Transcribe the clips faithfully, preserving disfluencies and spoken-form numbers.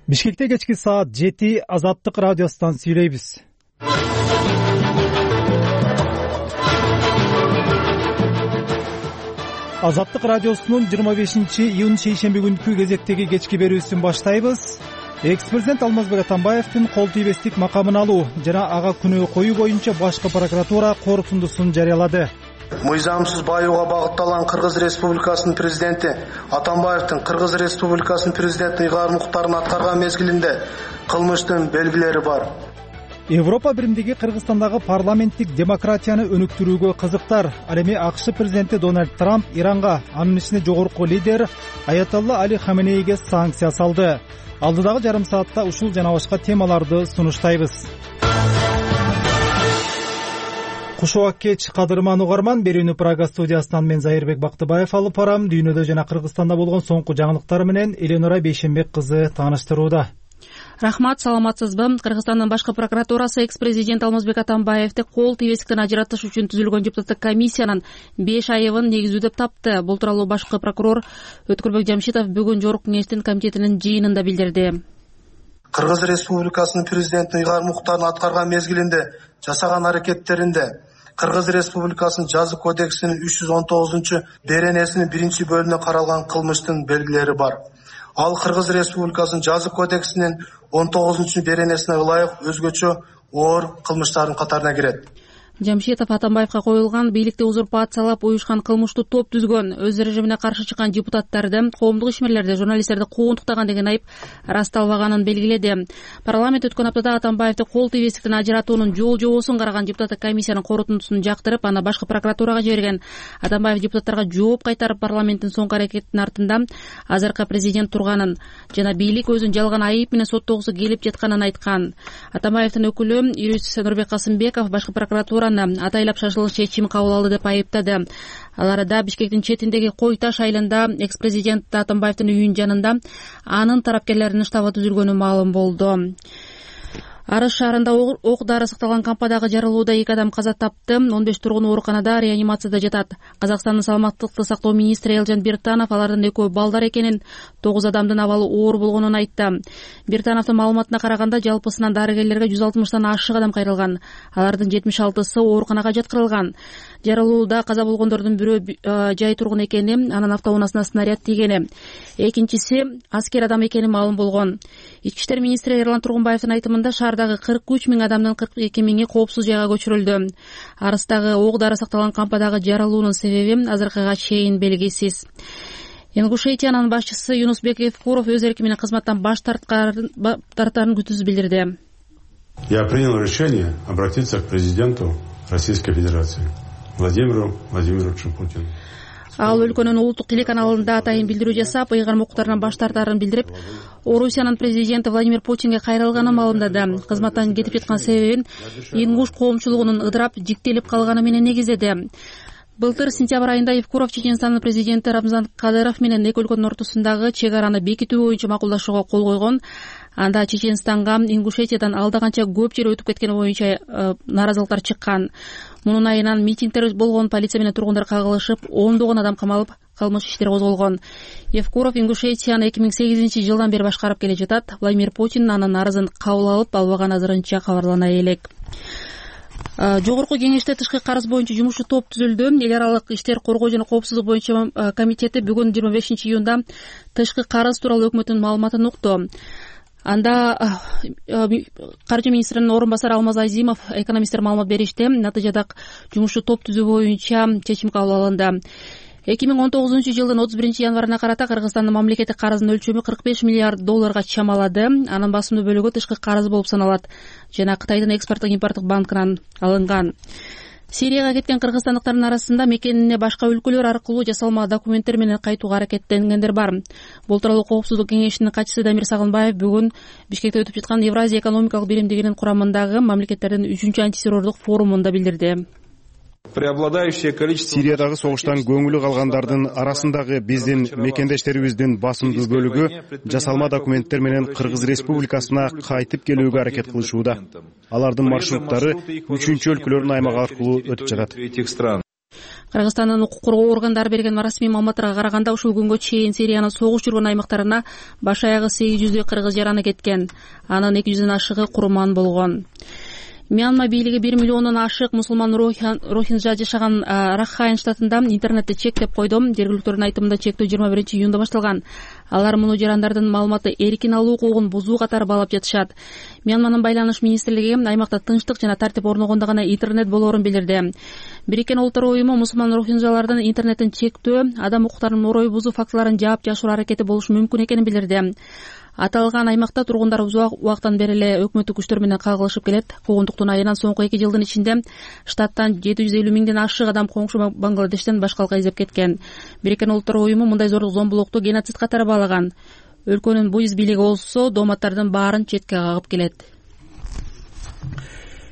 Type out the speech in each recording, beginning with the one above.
Бишкекте кечки саат жети Азаттык радиосунан сүйлөйбүз. Азаттык радиосунун жыйырма бешинчи июнь шейшемби күнкү кезектеги кечки берүүсүн баштайбыз. Экс-президент Алмазбек Атамбаевдин кол тийбестик макамын алуу жана ага күнөө коюу боюнча башкы прокуратура корутундусун жарыялады. Мыйзамсыз баюуга багытталган Кыргыз Республикасынын президенти Атамбаевдин Кыргыз Республикасынын президенти ыйгарым укуктарын аткарган мезгилинде кылмыштын белгилери бар. Европа биримдиги Кыргызстандагы парламенттик демократияны өнүктүрүүгө кызыктар. Ал эми АКШ президенти Дональд Трамп Иранга, анын ичинде жогорку лидер Аятолла Али Хаменейге санкция салды. Алдыдагы жарым саатта ушул жана башка темаларды сунуштайбыз. Кушубак кеч, кадырман угарман, берүүнү Прага студиясынан мен Зайырбек Бактыбаев алып барам. Дүйнөдө жана Кыргызстанда болгон соңку жаңылыктар менен Эленора Бейшенбек кызы тааныштырууда. Рахмат, саламатсызбы? Кыргызстандын башкы прокуратурасы экс-президент Алмазбек Атамбаевди кол тийбестиктен ажыратыш үчүн түзүлгөн депутаттык комиссиянын беш айыбын негиздүү деп тапты. Бул тууралуу башкы прокурор Өткүрбек Жамшитов бүгүн Жогорку кеңештин комитетинин жыйынында билдирди. Кыргыз Республикасынын президентин ыйгарым укуктарын аткарган мезгилинде жасаган аракеттеринде Кыргыз Республикасынын жаза кодексинин үч жүз он тогузунчу беренесинин биринчи бөлүгүнө каралган кылмыштын белгилери бар. Ал Кыргыз Республикасынын жаза кодексинин он тогузунчу беренесине ылайык өзгөчө оор кылмыштардын катарына кирет. Жамшитов Атамбаевга коюлган бийликти узурпациялап уюшкан кылмыштуу топ түзгөн, өз режимине каршы чыккан депутаттарды, коомдук ишмерлерди, журналисттерди куугунтуктаган деген айып ырасталбаганын белгиледи. Парламент өткөн аптада Атамбаевди кол тийбестиктен ажыратуунун жол-жобосун караган депутаттык комиссиянын корутундусун жактырып, аны башкы прокуратурага жиберген. Атамбаев депутаттарга жооп кайтарып, парламенттин соңку аракетинин артында азыркы президент турганын жана бийлик өзүн жалган айып менен соттогусу келип жатканын айткан. Атамбаевдин өкүлү юрист Нурбек Касымбеков башкы прокуратура атайлап шашылыш чечим кабыл алды деп айыптады. Ал арада Бишкектин четиндеги Кой Таш айылында экс-президент Атамбаевдин үйүнүн жанында анын тарапкерлеринин штабы түзүлгөнү маалым болду. Арыс шаарында ок дары сакталган кампадагы жарылууда эки адам каза тапты. он беш тургун ооруканада реанимацияда жатат. Казакстандын саламаттыкты сактоо министри Элжан Биртанов алардын экөө балдар экенин, тогуз адамдын абалы оор болгонун айтты. Биртановдун маалыматына караганда жалпысынан дарыгерлерге жүз алтымыштан ашык адам кайрылган. Алардын жетимиш алтысы ооруканага жаткырылган. Жарылууда каза болгондордун бирөө жай тургун экени, анын автоунаасына снаряд тийгени. Экинчиси аскер адам экени маалым болгон. Ички иштер министри Эрлан Тургунбаевдин айтымында шаардагы кырк үч миң адамдын кырк эки миңи коопсуз жайга көчүрүлдү. Арыстагы ок дары сакталган кампадагы жарылуунун себеби азыркыга чейин белгисиз. Ингушетиянын башчысы Юнусбек Евкуров өз эрки менен кызматтан баш тартарын күтүүсү билдирди. Я принял решение обратиться к президенту Российской Федерации Владимиру Владимировичу Путину. Ал өлкөнүн улуттук телеканалында атайын билдирүү жасап, ыйгарым укуктарынан баш тартарын билдирип, Орусиянын президенти Владимир Путинге кайрылганын маалымдады. Кызматтан кетип жаткан себебин ингуш коомчулугунун ыдырап, жиктелип калганы менен негиздеди. Былтыр сентябрь айында Евкуров Чеченстандын президенти Рамзан Кадыров менен эки өлкөнүн ортосундагы чек араны бекитүү боюнча макулдашууга кол койгон. Анда Чеченстанга Ингушетиядан алда канча көп жер өтүп кеткени боюнча нааразылыктар чыккан. Мунун айынан митингдер болгон, полиция менен тургундар кагылышып, ондогон адам камалып, кылмыш иштер козголгон. Евкуров Ингушетияны эки миң сегизинчи жылдан бери башкарып келе жатат. Владимир Путин анын арызын кабыл алып, албаган азырынча кабарлана элек. Жогорку кеңеште тышкы карыз боюнча жумушчу топ түзүлдү. Эл аралык иштер коргоо жана коопсуздук боюнча комитети бүгүн жыйырма бешинчи июнда тышкы карыз тууралуу өкмөттүн маалыматын укту. Анда каржы министринин орун басары Алмаз Азимов экономисттер маалымат беришти. Натыйжада жумушчу топ түзүү боюнча чечим кабыл алынды. эки миң он тогузунчу жылдын отуз биринчи январына карата Кыргызстандын мамлекеттик карызынын өлчөмү кырк беш миллиард долларга чамалады. Анын басымдуу бөлүгү тышкы карыз болуп саналат жана Кытайдын экспорттук импорттук банкынан алынган. Сирияга кеткен кыргызстандыктардын арасында мекенине башка өлкөлөр аркылуу жасалма документтер менен кайтууга аракеттенгендер бар. Бул тууралуу Коопсуздук кеңешинин катчысы Дамир Сагынбаев бүгүн Бишкекте өтүп жаткан Евразия экономикалык биримдигинин курамындагы мамлекеттердин үчүнчү антитеррордук форумунда билдирди. Сириядагы согуштан көңүлү калгандардын арасындагы биздин мекендештерибиздин басымдуу бөлүгү жасалма документтер менен Кыргыз Республикасына кайтып келүүгө аракет кылышууда. Алардын маршруттары үчүнчү өлкөлөрдүн аймагы аркылуу өтүп жатат. Кыргызстандын укук коргоо органдары берген расмий маалыматтарга караганда ушул күнгө чейин Сириянын согуш жүргөн аймактарына баш аягы сегиз жүздөй кыргыз жараны кеткен. Анын эки жүздөн ашыгы курман болгон. Мьянма бийлиги бир миллиондон ашык мусулман рохинджа жашаган Ракхайн штатында интернетти чектеп койду. Жергиликтүүнүн айтымында чектөө жыйырма биринчи июнда башталган. Алар муну жарандардын маалыматты эркин алуу укугун бузуу катары баалап жатышат. Мьянманын байланыш министрлиги аймакта тынчтык жана тартип орногондо гана интернет болоорун билдирди. Бириккен Улуттар уюму мусулман рохинджалардын интернеттин чектөө, адам укуктарынын орой бузуу фактыларын жаап жашыруу аракети болушу мүмкүн экенин билдирди. Аталган аймакта тургундар узак убакыттан бери эле өкмөттүк күчтөр менен кагылышып келет. Куугунтуктун айынан соңку эки жылдын ичинде штаттан жети жүз элүү миңден ашык адам коңшу Бангладештен башка алка издеп кеткен. Бириккен Улуттар уюму мындай зорлук зомбулукту геноцид катары баалаган. Өлкөнүн буйуз бийлиги болсо дооматтардын баарын четке кагып келет.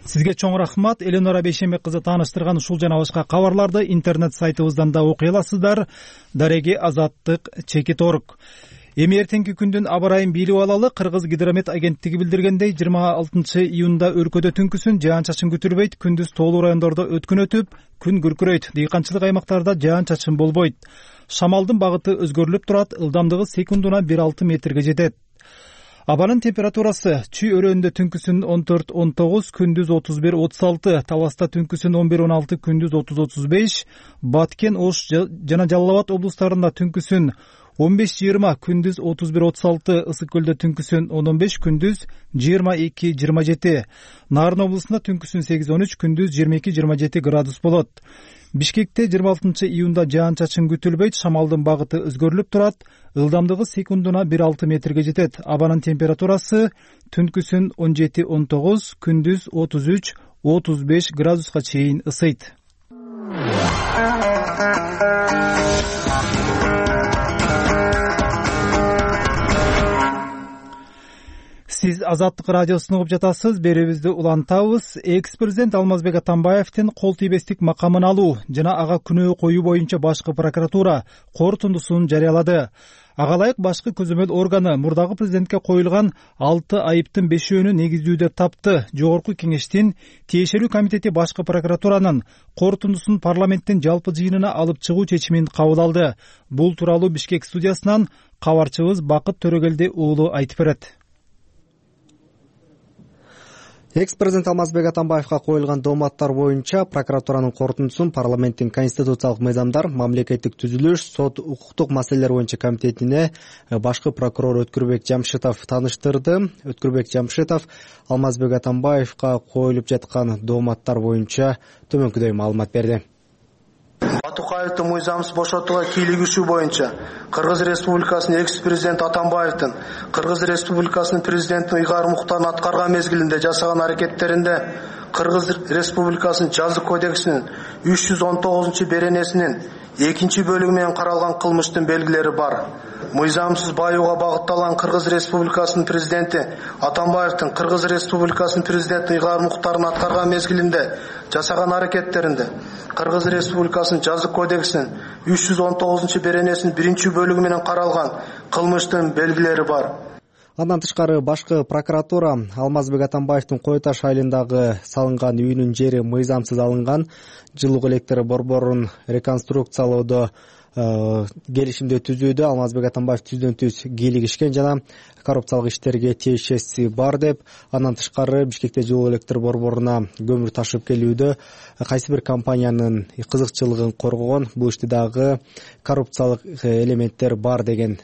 Сизге чоң рахмат. Эленора Бейшембек кызы тааныштырган ушул жана башка кабарларды интернет сайтыбыздан да окуй аласыздар. Дареги Азаттык чекит орг. Эми эртеңки күндүн аба ырайын бийлип алалы. Кыргыз гидромет агенттиги билдиргендей, жыйырма алтынчы июнда өлкөдө түнкүсүн жаан-чачын күтүлбөйт, күндүз тоолуу райондордо өткөн өтүп, күн күркүрөйт. Дыйканчылык аймактарда жаан-чачын болбойт. Шамалдын багыты өзгөрүлүп турат, ылдамдыгы секундуна бир алты метрге жетет. Абанын температурасы Чүй өрөөнүндө түнкүсүн он төрт он тогуз, күндүз отуз бир отуз алты, Таласта түнкүсүн он бир он алты, күндүз отуз отуз беш, Баткен, Ош жана Жалал Абад облустарында түнкүсүн он беш жыйырма, күндүз отуз бир отуз алты, Ысык көлдө түнкүсүн он он беш, күндүз жыйырма эки жыйырма жети, Нарын облусунда түнкүсүн сегиз он үч, күндүз жыйырма эки жыйырма жети градус болот. Бишкекте жыйырма алтынчы июнда жаан-чачын күтүлбөйт, шамалдын багыты өзгөрүлүп турат, ылдамдыгы секундуна бир алты метрге жетет. Абанын температурасы түнкүсүн он жети он тогуз, күндүз отуз үч отуз беш градуска чейин ысыйт. Сиз Азаттык радиосун угуп жатасыз. Берүүбүздү улантабыз. Экс-президент Алмазбек Атамбаевдин кол тийбестик макамын алуу жана ага күнөө коюу боюнча башкы прокуратура корутундусун жарыялады. Ага ылайык башкы көзөмөл органы мурдагы президентке коюлган алты айыптын бешөөнү негиздүү деп тапты. Жогорку кеңештин тиешелүү комитети башкы прокуратуранын корутундусун парламенттин жалпы жыйынына алып чыгуу чечимин кабыл алды. Бул тууралуу Бишкек студиясынан кабарчыбыз Бакыт Төрөгелди уулу айтып берет. Экс-президент Алмазбек Атамбаевга коюлган дооматтар боюнча прокуратуранын корутундусун парламенттин конституциялык мыйзамдар, мамлекеттик түзүлүш, сот, укуктук маселелер боюнча комитетине башкы прокурор Өткүрбек Жамшитов тааныштырды. Өткүрбек Жамшитов Алмазбек Атамбаевга коюлуп жаткан дооматтар боюнча төмөнкүдөй маалымат берди. Батукаевди мыйзамсыз бошотууга кийлигишүү боюнча Кыргыз Республикасынын экс-президенти Атамбаевдин Кыргыз Республикасынын президентин ыйгар муктарын аткарган мезгилинде жасаган аракеттеринде Кыргыз Республикасынын жаза кодексинин үч жүз он тогузунчу беренесинин экинчи бөлүгү менен каралган кылмыштын белгилери бар. Мыйзамсыз баюуга багытталган Кыргыз Республикасынын президенти Атамбаевдин Кыргыз Республикасынын президентин ыйгар муктарын аткарган мезгилинде жасаган аракеттеринде Кыргыз Республикасынын жаза кодексинин үч жүз он тогузунчу беренесинин биринчи бөлүгү менен каралган кылмыштын белгилери бар. Андан тышкары башкы прокуратура Алмазбек Атамбаевдин Кой Таш айылындагы салынган үйүнүн жери мыйзамсыз алынган, жылуу электр борборун реконструкциялоодо келишимди түзүүдө Алмазбек Атамбаев түздөн түз кийлигишкен жана коррупциялык иштерге тиешеси бар деп, андан тышкары Бишкекте жылуу электр борборуна көмүр ташып келүүдө кайсы бир компаниянын кызыкчылыгын коргогон, бул иште дагы коррупциялык элементтер бар деген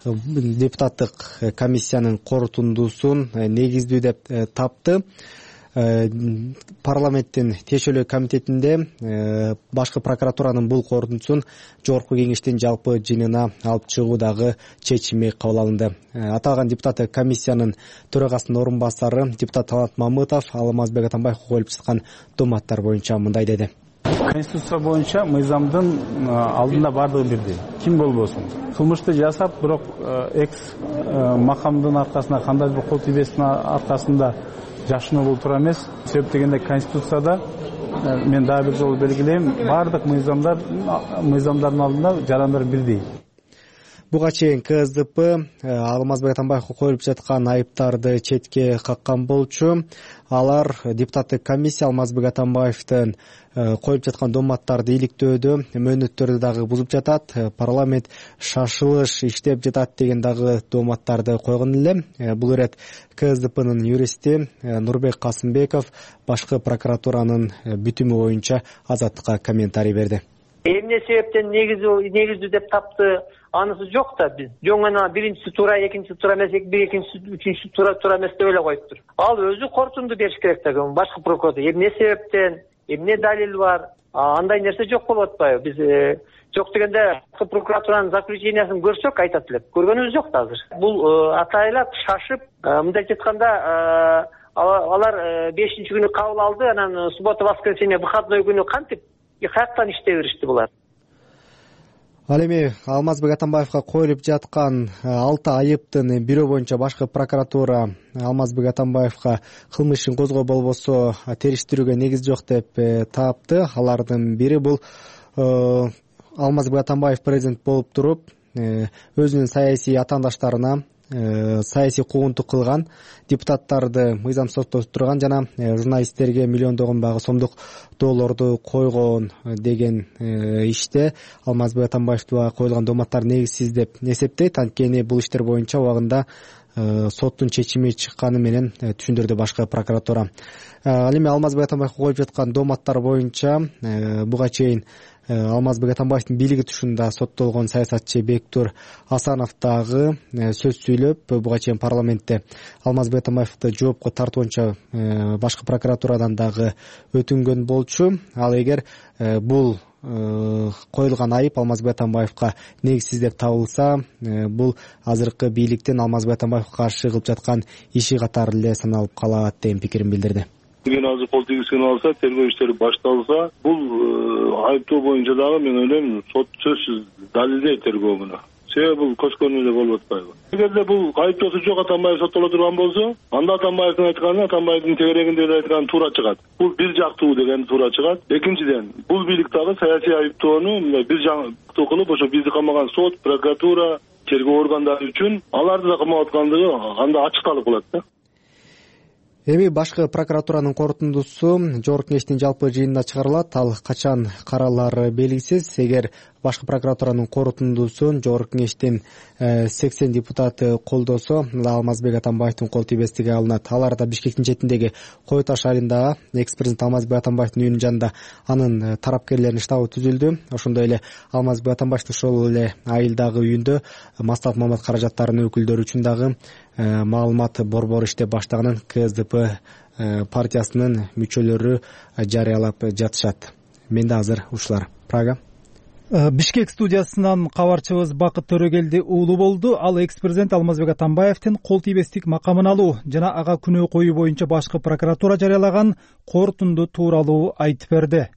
депутаттык комиссиянын корутундусун негиздүү деп тапты. Парламенттин тиешелүү комитетинде башкы прокуратуранын бул корутундусун жогорку кеңештин жалпы жыйынына алып чыгуу дагы чечими кабыл алынды. Аталган депутаттык комиссиянын төрагасынын орун басары депутат Талант Мамытов Алмазбек Атамбаевга коюлуп жаткан дооматтар боюнча мындай деди. Конституция боюнча мыйзамдын алдында бардыгы бирдей. Ким болбосун. Кылмышты жасап, бирок экс макамдын аркасында, кандайдыр бир кол тийбестин аркасында жашынуу бул туура эмес. Себеп дегенде Конституцияда мен дагы бир жолу белгилейм, бардык мыйзамдар мыйзамдардын алдында жарандар бирдей. Буга чейин Ка Эс Ди Пи Алмазбек Атамбаевге коюлуп жаткан айыптарды четке каккан болчу. Алар депутаттык комиссия Алмазбек Атамбаевдин коюлуп жаткан дооматтарды иликтөөдө мөөнөттөрдү дагы бузуп жатат, парламент шашылыш иштеп жатат деген дагы дооматтарды койгон эле. Бул ирет Ка Эс Ди Пинин юристи Нурбек Касымбеков башкы прокуратуранын бүтүмү боюнча Азаттыкка комментарий берди. Эмне себептен негиздүү деп тапты, анысы жок да. Биз жоңана биринчи туура, экинчи туура эмес, бир экинчи, үчүнчү туура туура эмес деп эле коюптур. Ал өзү корутунду бериш керек да, башкы прокуратура. Эмне себептен, эмне далил бар? Андай нерсе жок болуп атпайбы? Биз жок дегенде прокуратуранын заключениясын көрсөк айтат элек. Көргөнүбүз жок да азыр. Бул атайлап шашып, мындай айтканда, алар бешинчи күнү кабыл алды, анан суббота, воскресенье, выходной күнү кантип каяктан иштей беришти булар. Ал эми Алмазбек Атамбаевга коюлуп жаткан алты айыптын бирөө боюнча башкы прокуратура Алмазбек Атамбаевга кылмыш ишин козгоо болбосо териштирүүгө негиз жок деп тапты. Алардын бири бул Алмазбек Атамбаев президент болуп туруп өзүнүн саясий атаандаштарына саясий куугунтук кылган, депутаттарды мыйзам соттоштурган жана журналисттерге миллиондогон багы сомдук доолорду койгон деген иште Алмазбек Атамбаевга коюлган дооматтар негизсиз деп эсептейт. Анткени бул иштер боюнча убагында соттун чечими чыкканы менен түшүндүрдү башкы прокуратура. Ал эми Алмазбек Атамбаевга коюлуп жаткан дооматтар боюнча буга чейин Алмазбек Атамбаевдин бийлиги тушунда соттолгон саясатчы Бектур Асанов дагы сөз сүйлөп, буга чейин парламентте Алмазбек Атамбаевди жоопко тартуунча башкы прокуратурадан дагы өтүнгөн болчу. Ал эгер бул коюлган айып Алмазбек Атамбаевга негизсиз деп табылса, бул азыркы бийликтин Алмазбек Атамбаевга каршы кылып жаткан иши катары эле саналып калат деген пикирин билдирди. Эгер азыр кол тийгизген алса, тергөө иштери башталса, бул айыптоо боюнча дагы мен ойлойм, сот сөзсүз далилдейт тергөөнү. Себеби бул көчкөнү эле болуп атпайбы? Эгерде бул айыптоосу жок Атамбаев соттоло турган болсо, анда Атамбаевдин айтканы, Атамбаевдин тегерегинде айткан туура чыгат. Бул бир жактуу деген туура чыгат. Экинчиден, бул бийлик дагы саясий айыптоону мындай бир жактуу кылып, ошо бизди камаган сот, прокуратура, тергөө органдары үчүн аларды да камап аткандыгы анда ачыкталып калат да. Эми башкы прокуратуранын корутундусу жогорку кеңештин жалпы жыйынында чыгарылат. Ал качан каралары белгисиз. Эгер башкы прокуратуранын корутундусун жогорку кеңештин сексен депутаты колдосо, Алмазбек Атамбаевдин кол тийбестиги алынат. Алар да Бишкектин четиндеги Кой Таш айылындагы экс-президент Алмазбек Атамбаевдин үйүнүн жанында анын тарапкерлеринин штабы түзүлдү. Ошондой эле Алмазбек Атамбаевдин ошол эле айылдагы үйүндө Мастак Мамат каражаттарынын өкүлдөрү үчүн дагы маалымат борбору иштеп баштаганын Ка Эс Ди Пи партиясынын мүчөлөрү жарыялап жатышат. Менде азыр ушулар. Прага. Бишкек студиясынан кабарчыбыз Бакыт Төрөгелди уулу болду. Ал экс-президент Алмазбек Атамбаевдин кол тийбестик макамын алуу жана ага күнөө коюу боюнча башкы прокуратура жарыялаган корутунду тууралуу айтып берди.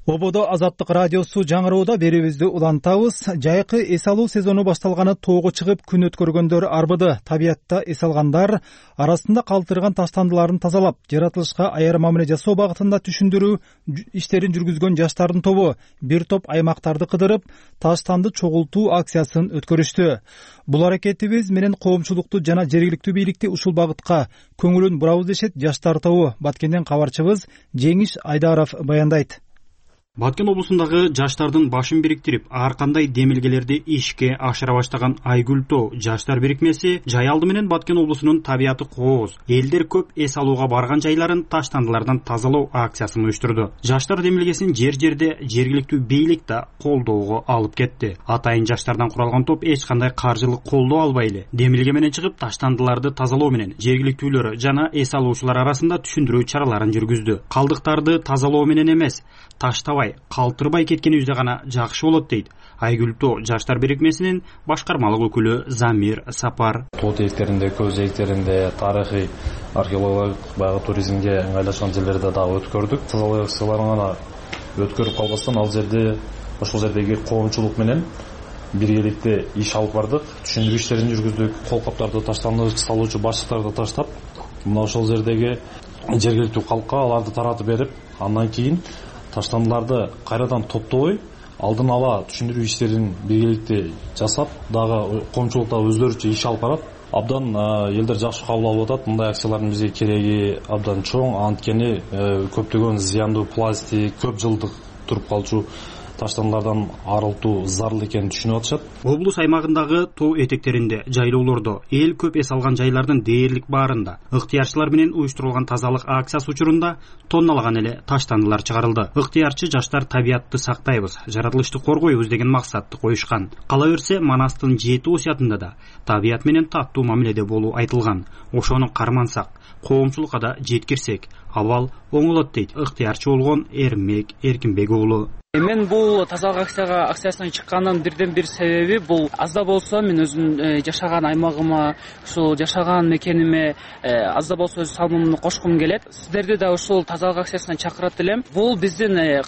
Ободо Азаттык радиосу жаңыроодо берүүбүздү улантабыз. Жайкы эс алуу сезону башталганы тоого чыгып күн өткөргөндөр арбыды. Табиятта эс алгандар арасында калтырган таштандыларын тазалап, жаратылышка аяр мамиле жасоо багытында түшүндүрүү иштерин жүргүзгөн жаштардын тобу бир топ аймактарды кыдырып, таштанды чогултуу акциясын өткөрүштү. Бул аракетибиз менен коомчулукту жана жергиликтүү бийликти ушул багытка көңүлүн бурабыз дешет жаштар тобу. Баткенден кабарчыбыз Жеңиш Айдаров баяндайт. Баткен облусундагы жаштардын башын бириктирип, ар кандай демилгелерди ишке ашыра баштаган Айгүлтөө жаштар бирикмеси жай алды менен Баткен облусунун табияты кооз, элдер көп эс алууга барган жайларын таштандылардан тазалоо акциясын уюштурду. Жаштар демилгесин жер-жерде жергиликтүү бийлик да колдоого алып кетти. Атайын жаштардан куралган топ эч кандай каржылык колдоо албай эле демилге менен чыгып, таштандыларды тазалоо менен жергиликтүүлөр жана эс алуучулар арасында түшүндүрүү чараларын жүргүздү. Калдыктарды тазалоо менен эмес, таштабай, калтырбай кеткенибизде гана жакшы болот дейт Айгүлтөө жаштар бирикмесинин башкармалык өкүлү Замир Сапар. Тоо тээктеринде, көз жээктеринде, тарыхый, археологиялык баягы туризмге ыңгайлашкан жерлерде дагы өткөрдүк. Тазалоо акцияларын гана өткөрүп калбастан ал жерде, ошол жердеги коомчулук менен биргеликте иш алып бардык. Түшүндүрүү иштерин жүргүздүк. Кол каптарды таштанды салуучу башчыларды таштап, мына ошол жердеги жергиликтүү калкка аларды таратып берип, андан кийин таштандыларды кайрадан топтобой алдын ала түшүндүрүү иштерин биргеликте жасап, дагы коомчулукта өздөрүчө иш алып барат. Абдан элдер жакшы кабыл алып атат. Мындай акциялардын бизге кереги абдан чоң, анткени көптөгөн зыяндуу пластик, көп жылдык туруп калчу таштандылардан арылтуу зарыл экенин түшүнүп атышат. Облус аймагындагы тоо этектеринде, жайлоолордо, эл көп эс алган жайлардын дээрлик баарында ыктыярчылар менен уюштурулган тазалык акциясы учурунда тонналаган эле таштандылар чыгарылды. Ыктыярчы жаштар табиятты сактайбыз, жаратылышты коргойбуз деген максатты коюшкан. Кала берсе, Манастын жети осуятында да табият менен таттуу мамиледе болуу айтылган. Ошону кармансак, коомчулукка да жеткирсек, абал оңолот дейт ыктыярчы болгон Эрмек Эркинбек уулу. Мен бул тазалык акцияга акциясына чыккандын бирден бир себеби бул аз да болсо мен өзүм жашаган аймагыма, ушул жашаган мекениме аз да болсо өз салымымды кошкум келет. Сиздерди да ушул тазалык акциясына чакырат элем. Бул биздин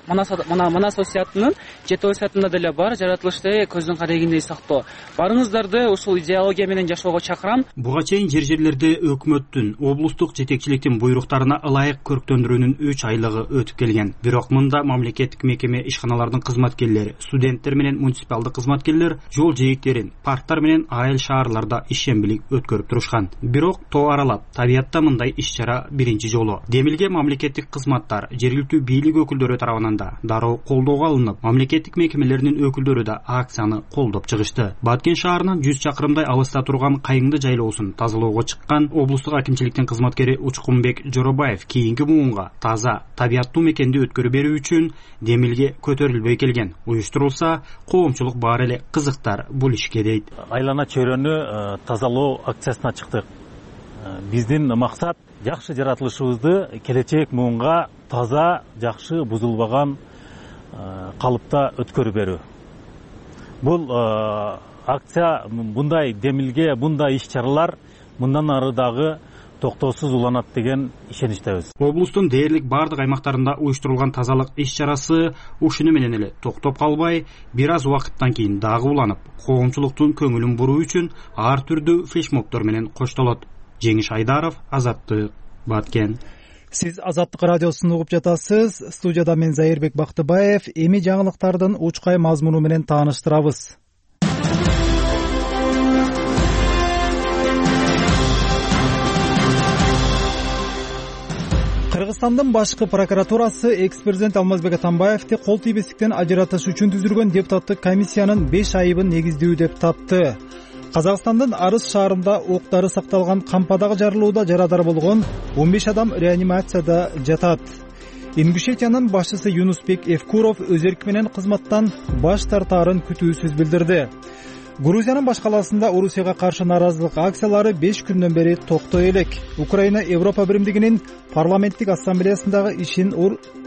Манас осуятынын жети осуятында деле бар, жаратылышты көздүн карегиндей сактоо. Барыңыздарды ушул идеология менен жашоого чакырам. Буга чейин жер жерлерде өкмөттүн, облустук жетекчиликтин буйруктарына ылайык көрктөндүрүүнүн үч айлыгы өтүп келген. Бирок мында мамлекеттик мекеме ишканалардын кызматкерлери, студенттер менен муниципалдык кызматкерлер жол жээктерин, парктар менен айыл шаарларда ишембилик өткөрүп турушкан. Бирок тоо аралап, табиятта мындай иш-чара биринчи жолу. Демилге мамлекеттик кызматтар, жергиликтүү бийлик өкүлдөрү тарабынан дароо колдоого алынып, мамлекеттик мекемелердин өкүлдөрү да акцияны колдоп чыгышты. Баткен шаарынан жүз чакырымдай алыста турган Кайыңды жайлоосун тазалоого чыккан облустук акимчиликтин кызматкери Учкунбек Жоробаев кийинки муунга таза, табияттуу мекенди өткөрүп берүү үчүн Демилге көтөрүлбөй келген. Уюштурулса, коомчулук бар эле кызыктар бул ишке дейт. Айлана чөйрөнү тазалоо акциясына чыктык. Биздин максат жакшы жаратылышыбызды келечек муунга таза, жакшы, бузулбаган калыпта өткөрүп берүү. Бул акция, мындай Демилге, мындай иш-чаралар мындан ары дагы токтоосуз уланат деген ишеничтебиз. Облустун дээрлик бардык аймактарында уюштурулган тазалык иш-чарасы ушуну менен эле токтоп калбай, бир аз убакыттан кийин дагы уланып, коомчулуктун көңүлүн буруу үчүн ар түрдүү флешмобдор менен коштолот. Жеңиш Айдаров, Азаттык, Баткен. Сиз Азаттык радиосун угуп жатасыз. Студияда мен Зайырбек Бактыбаев. Эми жаңылыктардын учкай мазмуну менен тааныштырабыз. Кыргызстандын башкы прокуратурасы экс-президент Алмазбек Атамбаевди кол тийбестиктен ажыратыш үчүн түзүлгөн депутаттык комиссиянын беш айыбын негиздүү деп тапты. Казакстандын Арыс шаарында октары сакталган кампадагы жарылууда жарадар болгон он беш адам реанимацияда жатат. Ингушетиянын башчысы Юнусбек Евкуров өз эрки менен кызматтан баш тартаарын күтүүсүз билдирди. Грузиянын баш калаасында Орусияга каршы нааразылык акциялары беш күндөн бери токтой элек. Украина Европа биримдигинин парламенттик ассамблеясындагы ишин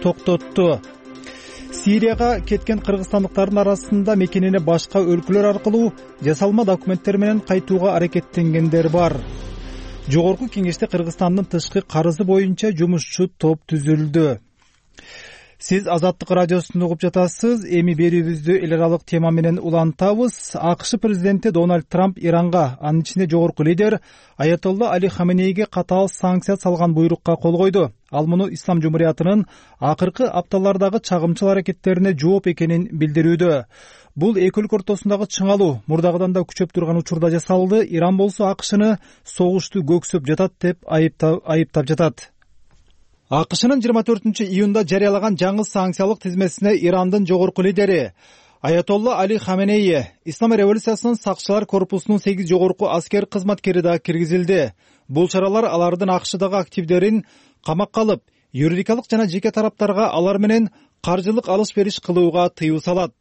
токтотту. Сирияга кеткен кыргызстандыктардын арасында мекенине башка өлкөлөр аркылуу жасалма документтер менен кайтууга аракеттенгендер бар. Жогорку кеңеште Кыргызстандын тышкы карызы боюнча жумушчу топ түзүлдү. Сиз Азаттык радиосун угуп жатасыз. Эми берүүбүздү эл аралык тема менен улантабыз. АКШ президенти Дональд Трамп Иранга, анын ичинде жогорку лидер Аятолла Али Хаменейге катаал санкция салган буйрукка кол койду. Ал муну Ислам жумуриятынын акыркы апталардагы чагымчыл аракеттерине жооп экенин билдирүүдө. Бул эки өлкө ортосундагы чыңалуу мурдагыдан да күчөп турган учурда жасалды. Иран болсо АКШны согушту көксөп жатат деп айыптап жатат. АКШнын жыйырма төртүнчү июнда жарыялаган жаңы санкциялык тизмесине Ирандын жогорку лидери Аятолла Али Хаменей, Ислам революциясынын сакчылар корпусунун сегиз жогорку аскер кызматкери да киргизилди. Бул чаралар алардын АКШдагы активдерин камакка алып, юридикалык жана жеке тараптарга алар менен каржылык алыш-бериш кылууга тыюу салат.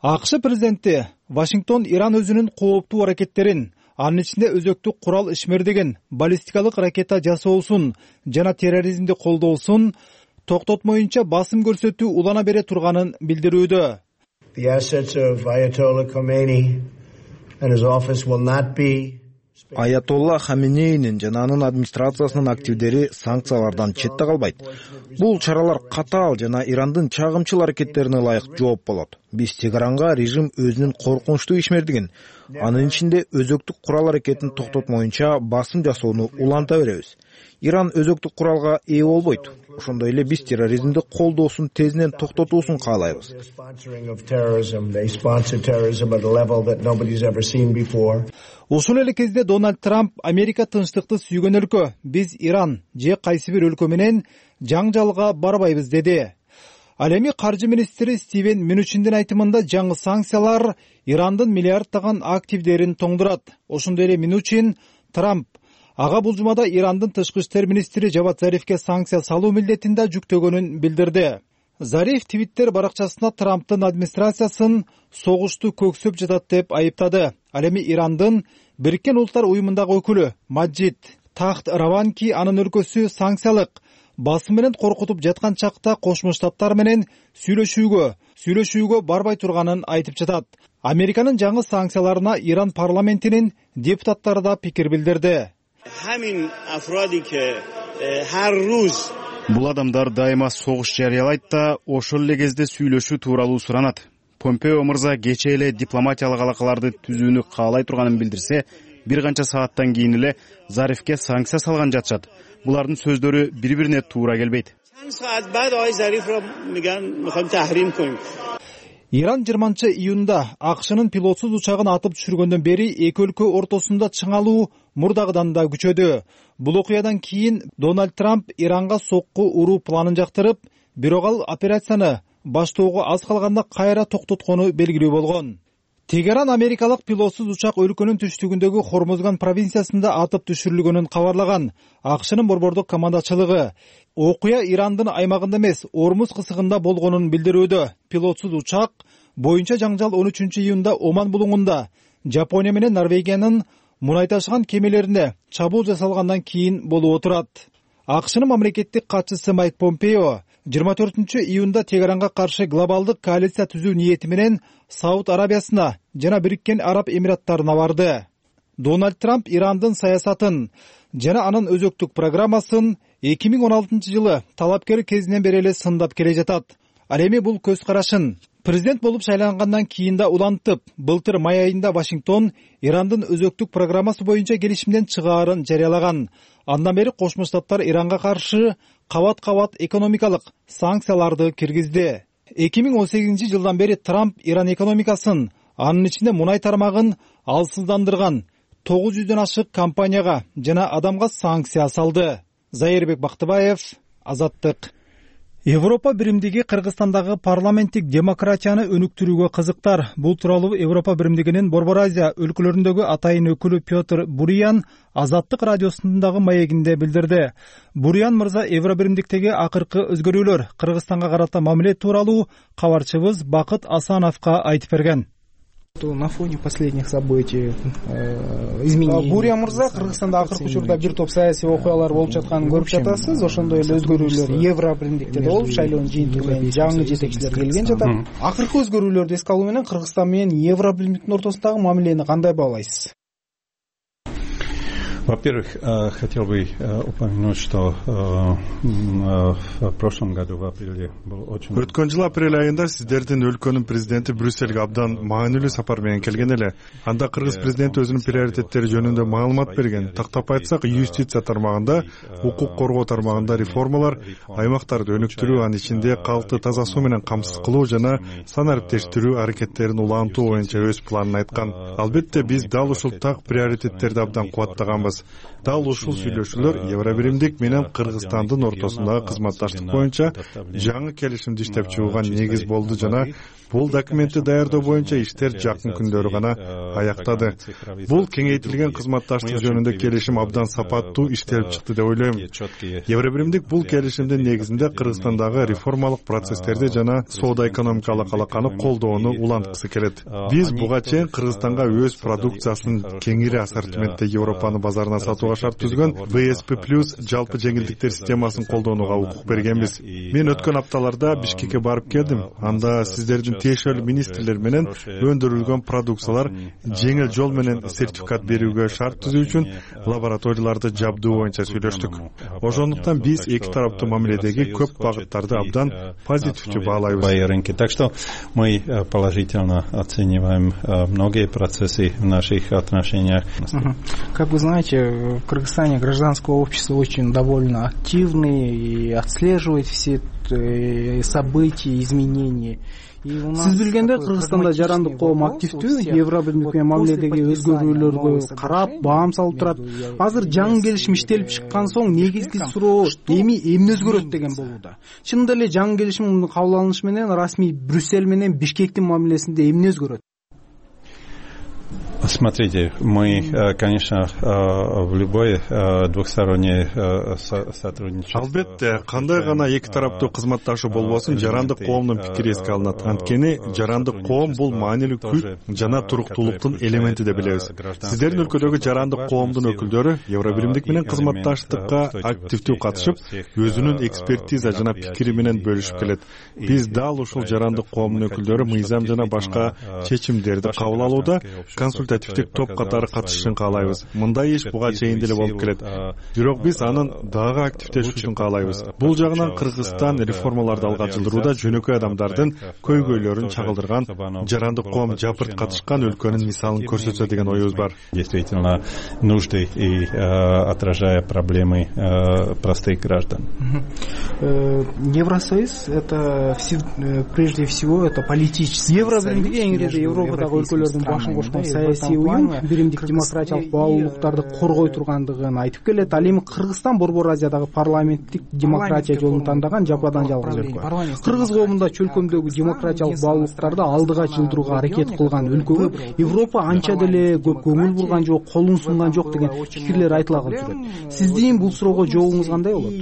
АКШ президенти Вашингтон Иран өзүнүн кооптуу аракеттерин, анын ичинде өзөктүк курал ишмердеген баллистикалык ракета жасоосун жана терроризмди колдоосун токтотмоюнча басым көрсөтүү улана бере турганын билдирүүдө. The assets of Ayatollah Khomeini and his office will not be Аятолла Хаменейнин жана анын администрациясынын активдери санкциялардан четте калбайт. Бул чаралар катаал жана Ирандын чагымчыл аракеттерине ылайык жооп болот. Биз Тегеранга режим өзүнүн коркунучтуу ишмердигин, анын ичинде өзөктүк курал аракетин токтотмоюнча басым жасоону уланта беребиз. Иран өзөктүк куралга ээ болбойт. Ошондой эле биз терроризмди колдоосун тезинен токтотуусун каалайбыз. Ошол эле кезде Дональд Трамп Америка тынчтыкты сүйгөн өлкө, биз Иран же кайсы бир өлкө менен жаңжалга барбайбыз деди. Ал эми каржы министри Стивен Мнучиндин айтымында жаңы санкциялар Ирандын миллиарддаган активдерин тоңдурат. Ошондой эле Мнучин Трамп ага бул жумада Ирандын тышкы иштер министри Жавад Зарифке санкция салуу милдетин да жүктөгөнүн билдирди. Зариф Твиттер баракчасына Трамптын администрациясын согушту көксөп жатат деп айыптады. Ал эми Ирандын Бириккен Улуттар уюмундагы өкүлү Маджид Тахт Раванки анын өлкөсү санкциялык басым менен коркутуп жаткан чакта Кошмо Штаттар менен сүйлөшүүгө, сүйлөшүүгө барбай турганын айтып жатат. Американын жаңы санкцияларына Иран парламентинин депутаттары да пикир билдирди. Бул адамдар дайыма согуш жарыялайт да ошол эле кезде сүйлөшүү тууралуу суранат. Помпео мырза кечээ эле дипломатиялык алакаларды түзүүнү каалай турганын билдирсе, бир канча сааттан кийин эле Зарифке санкция салган жатышат. Булардын сөздөрү бири-бирине туура келбейт. Иран жыйырманчы июнда АКШнын пилотсуз учагын атып түшүргөндөн бери эки өлкө ортосунда чыңалуу мурдагыдан да күчөдү. Бул окуядан кийин Дональд Трамп Иранга сокку уруу планын жактырып, бирок ал операцияны баштоого аз калганда кайра токтоткону белгилүү болгон. Тегеран америкалык пилотсуз учак өлкөнүн түштүгүндөгү Хормозган провинциясында атып түшүрүлгөнүн кабарлаган. АКШнын борбордук командачылыгы окуя Ирандын аймагында эмес, Ормуз кысыгында болгонун билдирүүдө. Пилотсуз учак боюнча жаңжал он үчүнчү июнда Оман булуңунда Жапония менен Норвегиянын мунай ташыган кемелерине чабуул жасалгандан кийин болуп отурат. АКШнын мамлекеттик катчысы Майк Помпео жыйырма төртүнчү июнда Тегеранга каршы глобалдык коалиция түзүү ниети менен Сауд Арабиясына жана Бириккен Араб Эмираттарына барды. Дональд Трамп Ирандын саясатын жана анын өзөктүк программасын эки миң он алтынчы жылы талапкер кезинен бери эле сындап келе жатат. Ал эми бул көз карашын президент болуп шайлангандан кийин да улантып, былтыр май айында Вашингтон Ирандын өзөктүк программасы боюнча келишимден чыгаарын жарыялаган. Андан бери Кошмо Штаттар Иранга каршы кабат-кабат экономикалык санкцияларды киргизди. эки миң он сегизинчи жылдан бери Трамп Иран экономикасын, анын ичинде мунай тармагын алсыздандырган тогуз жүздөн ашык компанияга жана адамга санкция салды. Зайырбек Бактыбаев, Азаттык. Европа биримдиги Кыргызстандагы парламенттик демократияны өнүктүрүүгө кызыктар. Бул тууралуу Европа биримдигинин Борбор Азия өлкөлөрүндөгү атайын өкүлү Петр Бурян Азаттык радиосундагы маегинде билдирди. Бурян мырза Евро биримдиктеги акыркы өзгөрүүлөр, Кыргызстанга карата мамиле тууралуу кабарчыбыз Бакыт Асановго айтып берген. На фоне последних событий изменений. Буря мырза, Кыргызстанда акыркы учурда бир топ саясий окуялар болуп жатканын көрүп жатасыз. Ошондой эле өзгөрүүлөр Евро биримдикте болуп, шайлоонун жыйынтыгы менен жаңы жетекчилер келген жатат. Акыркы өзгөрүүлөрдү эске алуу менен Кыргызстан менен Евро биримдиктин ортосундагы мамилени кандай баалайсыз? Во-первых, хотел бы упомянуть, что в прошлом году в апреле был очень... Өткөн жыл апрель айында сиздердин өлкөнүн президенти Брюссельге абдан маанилүү сапар менен келген эле. Анда кыргыз президенти өзүнүн приоритеттери жөнүндө маалымат берген. Тактап айтсак, юстиция тармагында, укук коргоо тармагында реформалар, аймактарды өнүктүрүү, анын ичинде калкты таза суу менен камсыз кылуу жана санариптештирүү аракеттерин улантуу боюнча өз планын айткан. Албетте биз дал ушул так приоритеттерди абдан кубаттаганбыз. Дал ушул сүйлөшүүлөр Евробиримдик менен Кыргызстандын ортосундагы кызматташтык боюнча жаңы келишимди иштеп чыгууга негиз болду жана бул документти даярдоо боюнча иштер жакын күндөрү гана аяктады. Бул кеңейтилген кызматташтык жөнүндө келишим абдан сапаттуу иштелип чыкты деп ойлойм. Евробиримдик бул келишимдин негизинде Кыргызстандагы реформалык процесстерди жана соода-экономикалык алаканы колдоону уланткысы келет. Биз буга чейин Кыргызстанга өз продукциясын кеңири ассортиментте Европанын базарына базарына сатууга шарт түзгөн вэ эс пэ плюс жалпы жеңилдиктер системасын колдонууга укук бергенбиз. Мен өткөн апталарда Бишкекке барып келдим. Анда сиздердин тиешелүү министрлер менен өндүрүлгөн продукциялар жеңил жол менен сертификат берүүгө шарт түзүү үчүн лабораторияларды жабдуу боюнча сүйлөштүк. Ошондуктан биз эки тараптуу мамиледеги көп багыттарды абдан позитивдүү баалайбыз. Так что мы положительно оцениваем многие процессы в наших отношениях. Как вы знаете, в Кыргызстане гражданское общество очень довольно активное и отслеживает все события, изменения. Сиз билгендей, Кыргызстанда жарандык коом активдүү, Евробиримдик менен мамиледеги өзгөрүүлөргө карап, баам салып турат. Азыр жаңы келишим иштелип чыккан соң негизги суроо эми эмне өзгөрөт деген болууда. Чынында эле жаңы келишимдин кабыл алынышы менен расмий Брюссель менен Бишкектин мамилесинде эмне өзгөрөт? Смотрите, мы, конечно, в любой двухсторонней сотрудничество. Албетте, кандай гана эки тараптуу кызматташуу болбосун, жарандык коомдун пикири эске алынат. Анткени жарандык коом бул маанилүү күч жана туруктуулуктун элементи деп билебиз. Сиздердин өлкөдөгү жарандык коомдун өкүлдөрү Евробиримдик менен кызматташтыкка активдүү катышып, өзүнүн экспертиза жана пикири менен бөлүшүп келет. Биз дал ушул жарандык коомдун өкүлдөрү мыйзам жана башка чечимдерди кабыл алууда консультативдик топ катары катышышын каалайбыз. Мындай иш буга чейин деле болуп келет. Бирок биз анын дагы активдешүүсүн каалайбыз. Бул жагынан Кыргызстан реформаларды алга жылдырууда жөнөкөй адамдардын көйгөйлөрүн чагылдырган, жарандык коом жапырт катышкан өлкөнүн мисалын көрсөтсө деген оюбуз бар. Действительно нужды и отражая проблемы простых граждан. Евросоюз это прежде всего это политический. Евробиримдик эң ири Европадагы өлкөлөрдүн башын кошкон саясий уюм, биримдик демократиялык баалуулуктарды коргой тургандыгын айтып келет. Ал эми Кыргызстан Борбор Азиядагы парламенттик демократия жолун тандаган жападан жалгыз өлкө. Кыргыз коомунда чөлкөмдөгү демократиялык баалуулуктарды алдыга жылдырууга аракет кылган өлкөгө Европа анча деле көп көңүл бурган жок, колун сунган жок деген пикирлер айтыла калып жүрөт. Сиздин бул суроого жообуңуз кандай болот?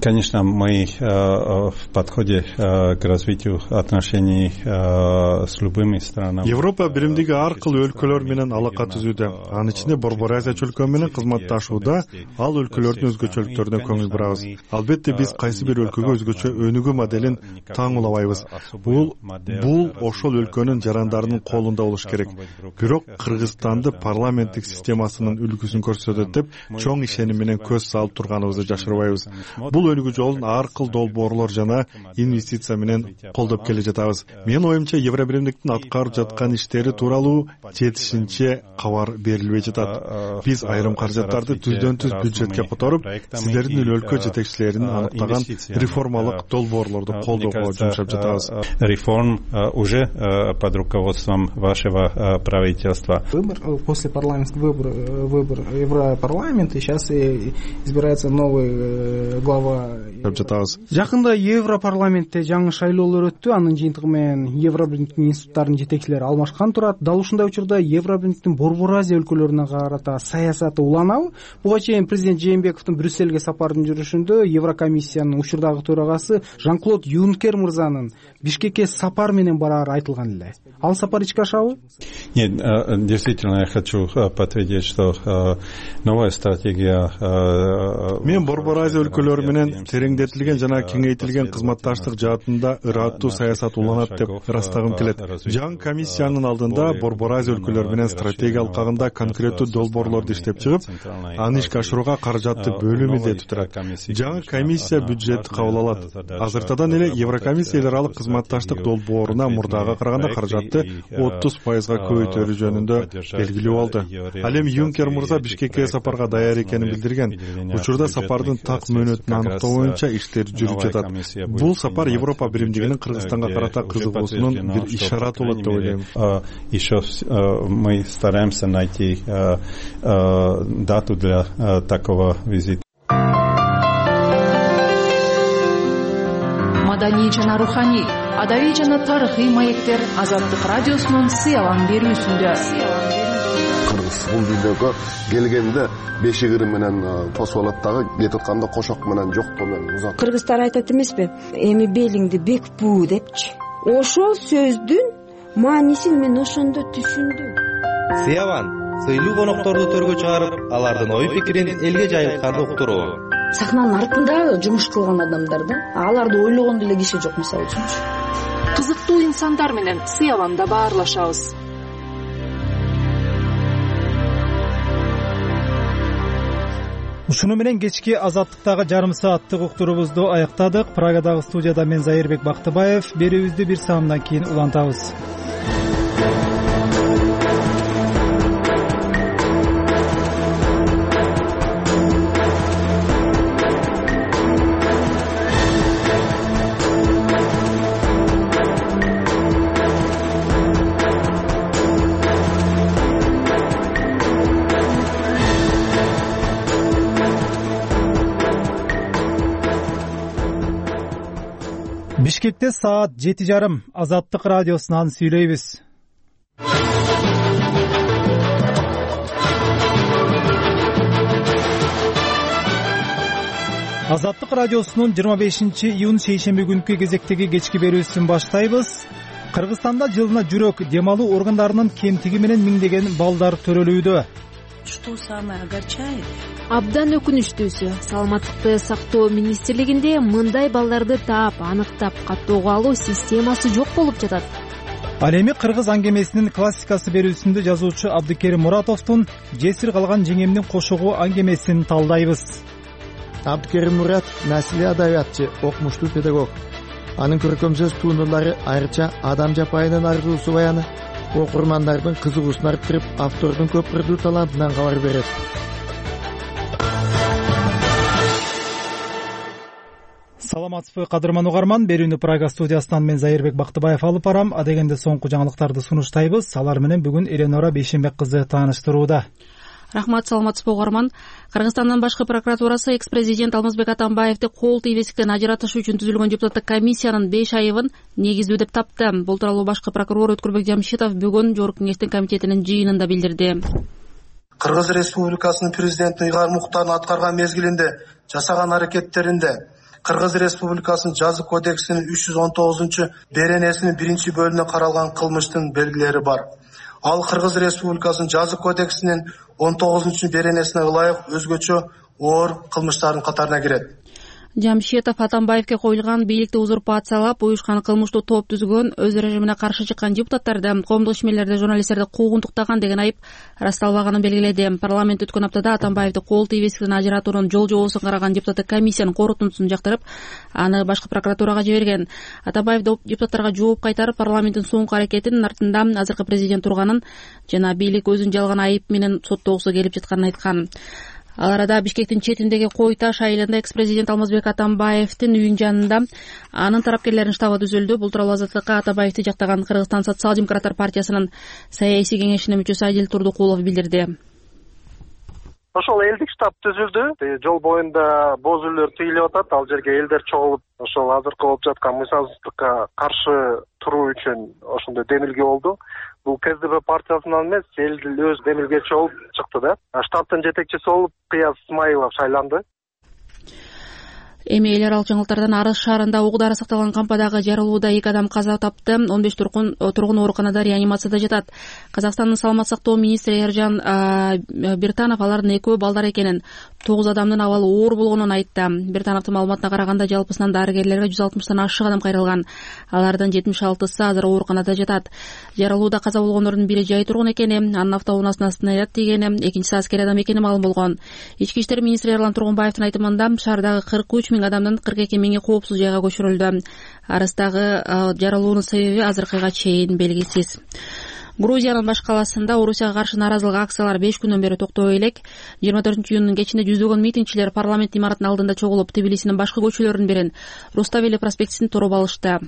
Конечно, мы в подходе к развитию отношений с любыми странами. Европа биримдиги ар кыл өлкөлөр менен алака түзүүдө. Анын ичинде Борбор Азия чөлкөө менен кызматташууда ал өлкөлөрдүн өзгөчөлүктөрүнө көңүл бурабыз. Албетте биз кайсы бир өлкөгө өзгөчө өнүгүү моделин таңуулабайбыз. Бул бул ошол өлкөнүн жарандарынын колунда болуш керек. Бирок Кыргызстанды парламенттик системасынын үлгүсүн көрсөтөт деп чоң ишеним менен көз салып турганыбызды жашырбайбыз. Бул өнүгүү жолун ар кыл долбоорлор жана инвестиция менен колдоп келе жатабыз. Менин оюмча Евробиримдиктин аткарып жаткан иштери тууралуу жетишинче кабар берилбей жатат. Биз айрым каражаттарды түздөн түз бюджетке которуп, сиздердин өлкө жетекчилеринин аныктаган реформалык долбоорлорду колдоого жумшап жатабыз. Реформ уже под руководством вашего правительства. Выбор после парламентского выбора, выбор Европарламента, и сейчас избирается новый глава. Жакында Европарламентте жаңы шайлоолор өттү. Анын жыйынтыгы менен Евробиримдиктин институттарынын жетекчилери алмашкан турат. Дал ушундай учурда Евробиримдиктин Борбор Азия өлкөлөрүнө карата саясаты уланабы? Буга чейин президент Жээнбековдун Брюссельге сапардын жүрүшүндө Еврокомиссиянын учурдагы төрагасы Жан-Клод Юнкер мырзанын Бишкекке сапар менен барары айтылган эле. Ал сапар ичке ашабы? Нет, действительно, я хочу подтвердить, что новая стратегия. Мен Борбор Азия өлкөлөрү менен тереңдетилген жана кеңейтилген кызматташтык жаатында ыраттуу саясат уланат деп ырастагым келет. Жаңы комиссиянын алдында Борбор Азия өлкөлөрү менен стратегия алкагында конкреттүү долбоорлорду иштеп чыгып, аны ишке ашырууга каражатты бөлүү милдети турат. Жаңы комиссия бюджетти кабыл алат. Азыртадан эле Еврокомиссия эл аралык кызматташтык долбооруна мурдага караганда каражатты отуз пайызга көбөйтөрү жөнүндө белгилүү болду. Ал эми Юнкер мырза Бишкекке сапарга даяр экенин билдирген. Учурда сапардын так мөөнөтүн аныктоо боюнча иштер жүрүп жатат. Бул сапар Европа биримдигинин Кыргызстанга карата кызыгуусунун бир ишараты болот деп ойлойм. Еще мы стараемся найти дату для такого визита. Маданий жана руханий, адабий жана тарыхый маектер Азаттык радиосунун сыялан берүүсүндө. Бул видеого келгенде бешигири менен посолаттагы кетип атканда кошок менен жокто менен узат. Кыргыздар айтат эмеспи? Эми белиңди бек буу депчи. Ошол сөздүн маанисин мен ошондо түшүндүм. Сыяван сыйлуу конокторду төргө чыгарып, алардын ой пикирин элге жайылтканды уктуруу. Сахнанын артында жумуш кылган адамдар да, аларды ойлогон деле киши жок, мисалы үчүнчү. Кызыктуу инсандар менен сый аланда баарлашабыз. Ушуну менен кечки Азаттыктагы жарым сааттык уктуруубузду аяктадык. Прагадагы студияда мен Зайырбек Бактыбаев. Берүүбүздү бир саамдан кийин улантабыз. Бишкекте саат жети жарым. Азаттык радиосунан сүйлөйбүз. Азаттык радиосунун жыйырма бешинчи июнь шейшемби күнкү кезектеги кечки берүүсүн баштайбыз. Кыргызстанда жылына жүрөк дем алуу органдарынын кемтиги менен миңдеген балдар төрөлүүдө. Что самое огорчает? Абдан өкүнүчтүүсү, саламаттыкты сактоо министрлигинде мындай балдарды таап, аныктап, каттоого алуу системасы жок болуп жатат. Ал эми кыргыз аңгемесинин классикасы берүүсүндө жазуучу Абдыкерим Муратовдун жесир калган жеңемдин кошогу аңгемесин талдайбыз. Абдыкерим Мурат наслий адабиятчы, окумуштуу педагог. Анын көркөм сөз туындылары айрыкча адам жапайынын арзуусу баяны окурмандардын кызыгуусун арттырып, автордун көпүрдүү талантынан кабар берет. Саламатсызбы, кадырман угарман. Берүүнү Прага студиясынан мен Зайырбек Бактыбаев алып барам. Адегенде соңку жаңылыктарды сунуштайбыз. Алар менен бүгүн Эленора Бейшенбек кызы тааныштырууда. Рахмат, саламатсызбы угарман. Кыргызстандын башкы прокуратурасы экс-президент Алмазбек Атамбаевди кол тийбестиктен ажыратыш үчүн түзүлгөн депутаттык комиссиянын беш айыбын негиздүү деп тапты. Бул тууралуу башкы прокурор Өткүрбек Жамшитов бүгүн Жогорку кеңештин комитетинин жыйынында билдирди. Кыргыз Республикасынын президенти Ыйгар Муктардын аткарган мезгилинде жасаган аракеттеринде Кыргыз Республикасынын жаза кодексинин үч жүз он тогузунчу беренесинин биринчи бөлүгүндө каралган кылмыштын белгилери бар. Ал Кыргыз Республикасынын жаза кодексинин он тогузунчу беренесине ылайык өзгөчө оор кылмыштардын катарына кирет. Жамшитов Атамбаевге коюлган бийликти узурпациялап уюшкан кылмыштуу топ түзгөн, өз режимине каршы чыккан депутаттарды, коомдук ишмерлерди, журналисттерди куугунтуктаган деген айып ырасталбаганын белгиледи. Парламент өткөн аптада Атамбаевди кол тийбестиктен ажыратуунун жол жобосун караган депутаттык комиссиянын корутундусун жактырып, аны башкы прокуратурага жиберген. Атамбаев депутаттарга жооп кайтарып, парламенттин соңку аракетинин артында азыркы президент турганын жана бийлик өзүн жалган айып менен соттогусу келип жатканын айткан. Ал арада Бишкектин четиндеги Кой Таш айылында экс-президент Алмазбек Атамбаевдин үйүнүн жанында анын тарапкерлеринин штабы түзүлдү. Бул тууралуу Азаттыкка Атамбаевди жактаган Кыргызстан социал-демократтар партиясынын саясий кеңешинин мүчөсү Адил Турдукулов билдирди. Ошол элдик штаб түзүлдү. Жол боюнда боз үйлөр тыйылып атат. Ал жерге элдер чогулуп, ошол азыркы болуп жаткан мыйзамсыздыкка каршы туруу үчүн ошондой демилге болду. Бул КСДП партиясынан эмес, эл өз демилгечи болуп чыкты да. Штабтын жетекчиси болуп Кыяз Исмаилов шайланды. Эми эл аралык жаңылыктардан Арыс шаарында угу дары сакталган кампадагы жарылууда эки адам каза тапты. он беш тургун тургун ооруканада реанимацияда жатат. Казакстандын саламаттык сактоо министри Эржан Биртанов алардын экөө балдар экенин, тогуз адамдын абалы оор болгонун айтты. Биртановдун маалыматына караганда жалпысынан дарыгерлерге жүз алтымыштан ашык адам кайрылган. Алардын жетимиш алтысы азыр ооруканада жатат. Жарылууда каза болгондордун бири жай тургун экени, анын автоунаасына снаряд тийгени, экинчиси аскер адам экени маалым болгон. Ички иштер министри Эрлан Тургунбаевдин айтымында шаардагы кырк үч миң адамдын кырк эки миңи коопсуз жайга көчүрүлдү. Арыстагы жарылуунун себеби азыркыга чейин белгисиз. Грузиянын баш каласында Орусияга каршы нааразылык акциялары беш күндөн бери токтобой элек. жыйырма төртүнчү июндун кечинде жүздөгөн митингчилер парламент имаратынын алдында чогулуп, Тбилисинин башкы көчөлөрүнүн бирин, Руставели проспектисин тороп алышты.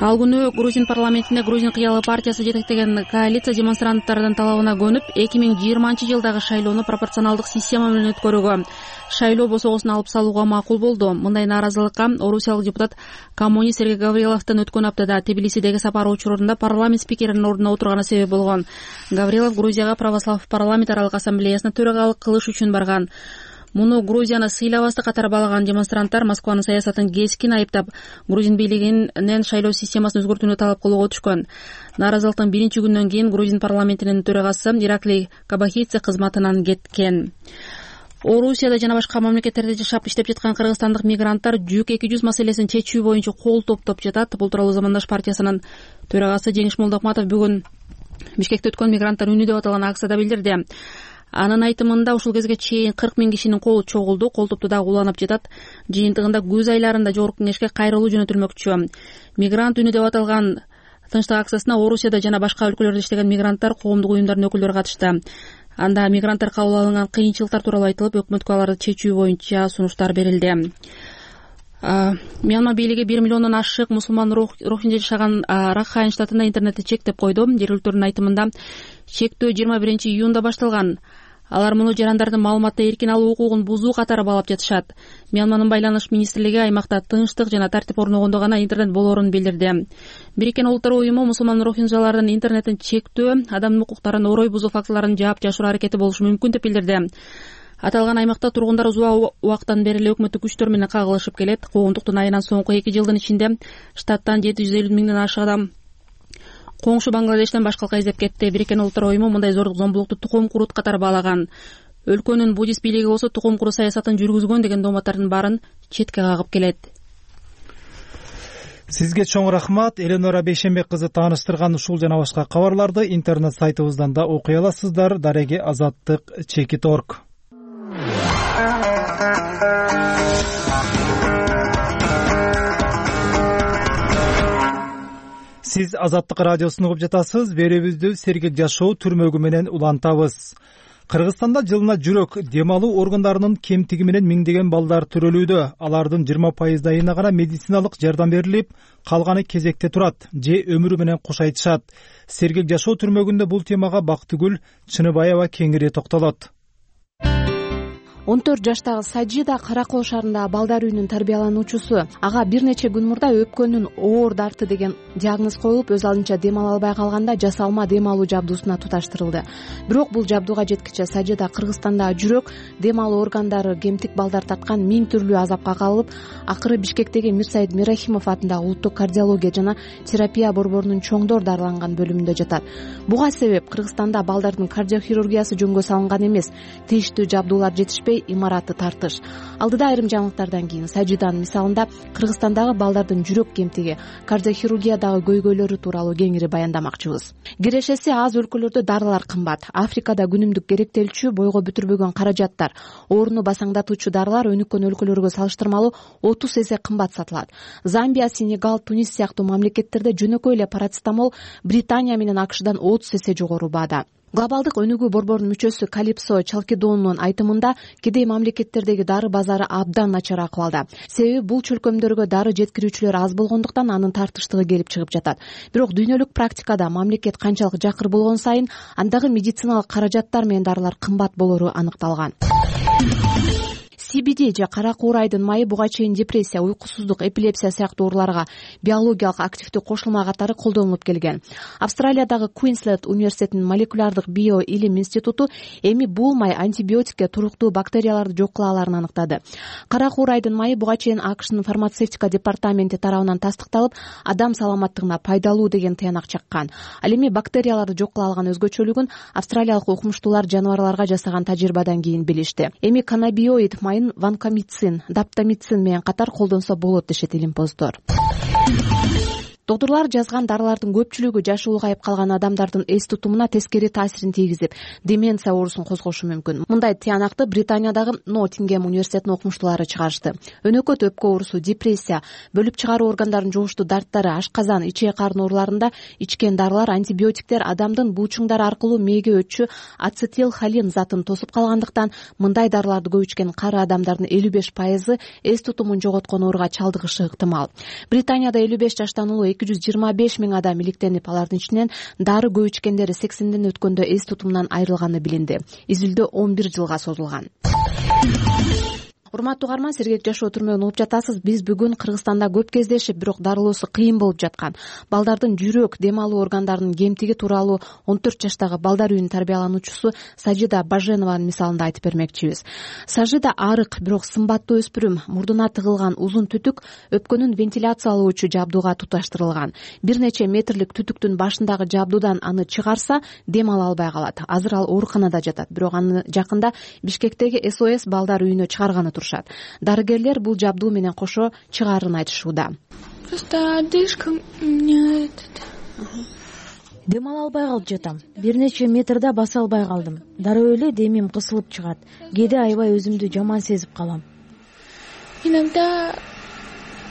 Ал күнү Грузин парламентине Грузин кыялы партиясы жетектеген коалиция демонстранттардын талабына көнүп, эки миң жыйырманчы жылдагы шайлоону пропорционалдык система менен өткөрүүгө, шайлоо босогосун алып салууга макул болду. Мындай нааразылыкка орусиялык депутат коммунист Сергей Гавриловдун өткөн аптада Тбилисидеги сапары учурунда парламент спикеринин ордуна отурганы себеп болгон. Гаврилов Грузияга православ парламент аралык ассамблеясына төрагалык кылыш үчүн барган. Муну Грузияны сыйлабастык катары баалаган демонстранттар Москванын саясатын кескин айыптап, Грузин бийлигинен шайлоо системасын өзгөртүүнү талап кылууга өтүшкөн. Нааразылыктын биринчи күнүнөн кийин Грузин парламентинин төрагасы Ираклий Кабахидзе кызматынан кеткен. Орусияда жана башка мамлекеттерде жашап иштеп жаткан кыргызстандык мигранттар жүк эки жүз маселесин чечүү боюнча кол топтоп жатат. Бул тууралуу Замандаш партиясынын төрагасы Жеңиш Молдокматов бүгүн Бишкекте өткөн мигранттар үнү деп аталган акцияда билдирди. Анын айтымында ушул кезге чейин кырк миң кишинин колу чогулду. Кол топту дагы уланып жатат. Жыйынтыгында күз айларында Жогорку Кеңешке кайрылуу жөнөтүлмөкчү. Мигрант үнү деп аталган тынчтык акциясына Орусияда жана башка өлкөлөрдө иштеген мигранттар, коомдук уюмдардын өкүлдөрү катышты. Анда мигранттар кабыл алынган кыйынчылыктар тууралуу айтылып, өкмөткө аларды чечүү боюнча сунуштар берилди. Мьянма бийлиги бир миллиондон ашык мусулман рохинжа жашаган Ракхайн штатында интернетти чектеп койду. Жергиликтүүнүн айтымында чектөө жыйырма биринчи июнда башталган. Алар муну жарандардын маалыматты эркин алуу укугун бузуу катары баалап жатышат. Мьянманын байланыш министрлиги аймакта тынчтык жана тартип орногондо гана интернет болоорун билдирди. Бириккен Улуттар уюму мусулман рохинжалардын интернеттин чектөө, адамдын укуктарын орой бузуу фактыларын жаап жашыруу аракети болушу мүмкүн деп билдирди. Аталган аймакта тургундар узак убакыттан бери эле өкмөттүк күчтөр менен кагылышып келет. Коомдуктун айынан соңку эки жылдын ичинде штаттан жети жүз элүү миңден ашык адам коңшу Бангладештен башкалыкка издеп кетти. Бириккен Улуттар уюму мындай зордук зомбулукту тукум курут катары баалаган. Өлкөнүн буддист бийлиги болсо тукум куруу саясатын жүргүзгөн деген дооматтардын баарын четке кагып келет. Сизге чоң рахмат. Эленора Бейшембек кызы тааныштырган ушул жана башка кабарларды интернет сайтыбыздан да окуй аласыздар. Дареги азаттык чекит точка орг. Сиз Азаттык радиосун угуп жатасыз. Берүүбүздү сергек жашоо түрмөгү менен улантабыз. Кыргызстанда жылына жүрөк, дем алуу органдарынын кемтиги менен миңдеген балдар төрөлүүдө. Алардын жыйырма пайыздайына гана медициналык жардам берилип, калганы кезекте турат же өмүрү менен кош айтышат. Сергек жашоо түрмөгүндө бул темага Бактыгүл Чыныбаева кеңири токтолот. он төрт жаштагы Сажида Кара Кол шаарындагы балдар үйүнүн тарбиялануучусу. Ага бир нече күн мурда өпкөнүн оор дарты деген диагноз коюлуп, өз алдынча дем ала албай калганда жасалма дем алуу жабдуусуна туташтырылды. Бирок бул жабдууга жеткиче Сажида Кыргызстандагы жүрөк, дем алуу органдары, кемтик балдар тарткан миң түрлүү азапка калып, акыры Бишкектеги Мирсаид Мирахимов атындагы улуттук кардиология жана терапия борборунун чоңдор дарыланган бөлүмүндө жатат. Буга себеп Кыргызстанда балдардын кардиохирургиясы жөнгө салынган эмес, тийиштүү жабдуулар жетишпей, имараты тартыш. Алдыда айрым жаңылыктардан кийин Сажиданын мисалында Кыргызстандагы балдардын жүрөк кемтиги, кардиохирургиядагы көйгөйлөрү тууралуу кеңири баяндамакчыбыз. Кирешеси аз өлкөлөрдө дарылар кымбат. Африкада күнүмдүк керектелчү, бойго бүтүрбөгөн каражаттар, ооруну басаңдатуучу дарылар өнүккөн өлкөлөргө салыштырмалуу отуз эсе кымбат сатылат. Замбия, Сенегал, Тунис сыяктуу мамлекеттерде жөнөкөй эле парацетамол Британия менен АКШдан отуз эсе жогору баада. Глобалдык өнүгүү борборунун мүчөсү Калипсо Чалкидонунун айтымында кедей мамлекеттердеги дары базары абдан начар акыбалда. Себеби бул чөлкөмдөргө дары жеткирүүчүлөр аз болгондуктан анын тартыштыгы келип чыгып жатат. Бирок дүйнөлүк практикада мамлекет канчалык жакыр болгон сайын андагы медициналык каражаттар менен дарылар кымбат болору аныкталган. си би ди же кара куурайдын майы буга чейин депрессия, уйкусуздук, эпилепсия сыяктуу ооруларга биологиялык активдүү кошулма катары колдонулуп келген. Австралиядагы Квинсленд университетинин молекулярдык био илим институту эми бул май антибиотикке туруктуу бактерияларды жок кыла аларын аныктады. Кара куурайдын майы буга чейин АКШнын фармацевтика департаменти тарабынан тастыкталып, адам саламаттыгына пайдалуу деген тыянак чаккан. Ал эми бактерияларды жок кыла алган өзгөчөлүгүн австралиялык укмуштуулар жаныбарларга жасаган тажрыйбадан кийин билишти. Эми каннабиоид майын ванкомицин, даптамицин менен катар колдонсо болот дешет илимпоздор. Доктурлар жазган дарылардын көпчүлүгү жашы улгайып калган адамдардын эс тутумуна тескери таасирин тийгизип, деменция оорусун козгошу мүмкүн. Мындай тыянакты Британиядагы Ноттингем университетинин окумуштуулары чыгарышты. Өнөкөт өпкө оорусу, депрессия, бөлүп чыгаруу органдарын жугуштуу дарттары, ашказан, ичек карын ооруларында ичкен дарылар, антибиотиктер адамдын буучуңдары аркылуу мээге өтчү ацетилхолин затын тосуп калгандыктан мындай дарыларды көп ичкен кары адамдардын элүү беш пайызы эс тутумун жоготкон ооруга чалдыгышы ыктымал. Британияда элүү беш жаштан улуу эки жүз жыйырма беш миң адам иликтенип, алардын ичинен дары көп ичкендери сексенден өткөндө эс тутумунан айрылганы билинди. Изилдөө он бир жылга созулган. урматтуу угарман, сергек жашоо түрмөгүн угуп жатасыз. Биз бүгүн Кыргызстанда көп кездешип, бирок дарылоосу кыйын болуп жаткан балдардын жүрөк, дем алуу органдарынын кемтиги тууралуу он төрт жаштагы балдар үйүнүн тарбиялануучусу Сажида Баженованын мисалында айтып бермекчибиз. Сажида арык, бирок сымбаттуу өспүрүм, мурдуна тыгылган узун түтүк өпкөнүн вентиляциялоочу жабдууга туташтырылган. Бир нече метрлик түтүктүн башындагы жабдуудан аны чыгарса, дем ала албай калат. Азыр ал ооруканада жатат, бирок аны жакында Бишкектеги эс о эс балдар үйүнө чыгарганы турушат. Дарыгерлер бул жабдуу менен кошо чыгаарын айтышууда. Просто одышка мне дем ала албай калып жатам. Бир нече метрда баса албай калдым. Дароо эле демим кысылып чыгат. Кээде аябай өзүмдү жаман сезип калам. Иногда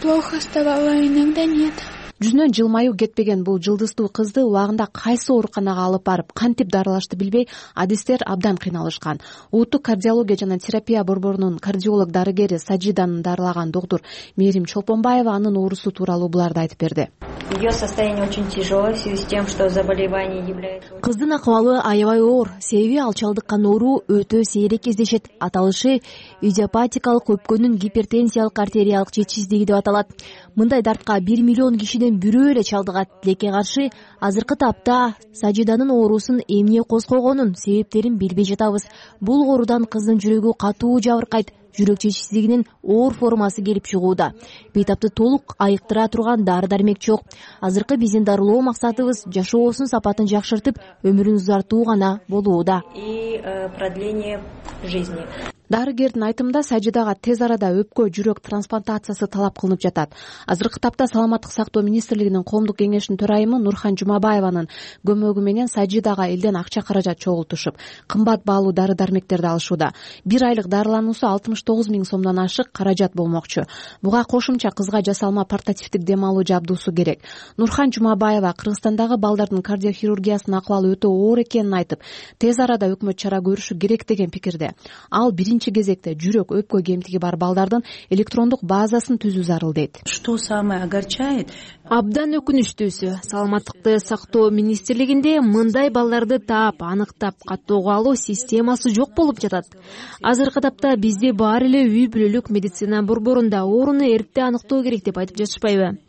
плохо вставала, иногда нет. Жүзүнөн жылмаюу кетпеген бул жылдыздуу кызды убагында кайсы ооруканага алып барып кантип дарылашты билбей адистер абдан кыйналышкан. Улуттук кардиология жана терапия борборунун кардиолог дарыгери Сажиданы дарылаган доктур Мээрим Чолпонбаева анын оорусу тууралуу буларды айтып берди. Ее состояние очень тяжелое в связи с тем, что заболевание является... Кыздын акыбалы аябай оор, себеби ал чалдыккан оору өтө сейрек кездешет. Аталышы идиопатикалык өпкөнүн гипертензиялык артериялык жетишсиздиги деп аталат. Мындай дартка бир миллион кишиден бирөө эле чалдыгат. Тилекке каршы азыркы тапта Сажиданын оорусун эмне козгогонун себептерин билбей жатабыз. Бул оорудан кыздын жүрөгү катуу жабыркайт. Жүрөк жетишсиздигинин оор формасы келип чыгууда. Бейтапты толук айыктыра турган дары-дармек жок. Азыркы биздин дарылоо максатыбыз жашоосунун сапатын жакшыртып, өмүрүн узартуу гана болууда. И продление жизни. Дарыгердин айтымында Сажидага тез арада өпкө жүрөк трансплантациясы талап кылынып жатат. Азыркы тапта Саламаттык сактоо министрлигинин коомдук кеңешинин төрайымы Нурхан Жумабаеванын көмөгү менен Сажидага элден акча каражат чогултушуп, кымбат баалуу дары-дармектерди алышууда. Бир айлык дарылануусу алтымыш тогуз миң сомдон ашык каражат болмокчу. Буга кошумча кызга жасалма портативдик дем алуу жабдуусу керек. Нурхан Жумабаева Кыргызстандагы балдардын кардиохирургиясынын акыбалы өтө оор экенин айтып, тез арада өкмөт чара көрүшү керек деген пикирде. Ал биринчи кезекте жүрөк өпкө кемтиги бар балдардын электрондук базасын түзүү зарыл дейт. Что самое огорчает? Абдан өкүнүчтүүсү, саламаттыкты сактоо министрлигинде мындай балдарды таап, аныктап, каттоого алуу системасы жок болуп жатат. Азыркы тапта бизде баары эле үй бүлөлүк медицина борборунда ооруну эрте аныктоо керек деп айтып жатышпайбы?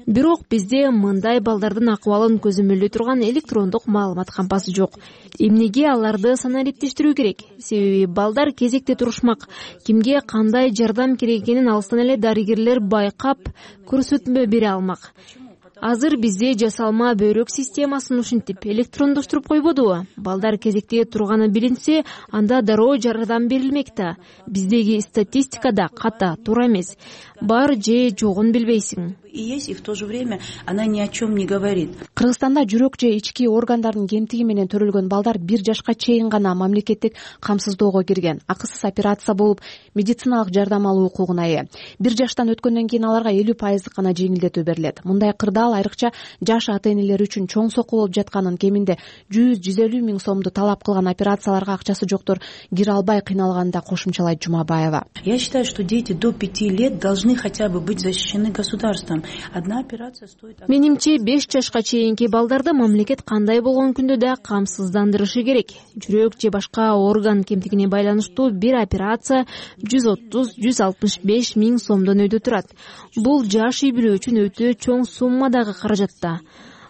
Бирок бизде мындай балдардын акыбалын көзөмөлдөй турган электрондук маалымат кампасы жок. Эмнеге аларды санариптештирүү керек? Себеби балдар кезекте турушмак. Кимге кандай жардам керек экенин алыстан эле дарыгерлер байкап, көрсөтмө бере алмак. Азыр бизде жасалма бөйрөк системасын ушинтип электрондоштуруп койбодубу? Балдар кезекте турганы билинсе, анда дароо жардам берилмек да. Биздеги статистикада ката, туура эмес. Бар же жогун билбейсиң. И есть, и в то же время она ни о чем не говорит. Кыргызстанда жүрөк же ички органдардын кемтиги менен төрөлгөн балдар бир жашка чейин гана мамлекеттик камсыздоого кирген. Акысыз операция болуп, медициналык жардам алуу укугуна ээ. Бир жаштан өткөндөн кийин аларга элүү пайыздык гана жеңилдетүү берилет. Мындай кырдаал айрыкча жаш ата-энелер үчүн чоң сокку болуп жатканын, кеминде жүз жүз элүү миң сомду талап кылган операцияларга акчасы жоктор кире албай кыйналганда кошумчалайт Жумабаева. Я считаю, что дети до пяти лет должны хотя бы быть защищены государством. Одна операция стоит... Менимче беш жашка чейинки балдарды мамлекет кандай болгон күндө да камсыздандырышы керек. Жүрөк же башка орган кемтигине байланыштуу бир операция жүз отуз — жүз алтымыш беш миң сомдон өйдө турат. Бул жаш үй бүлө үчүн өтө чоң суммадагы каражатта.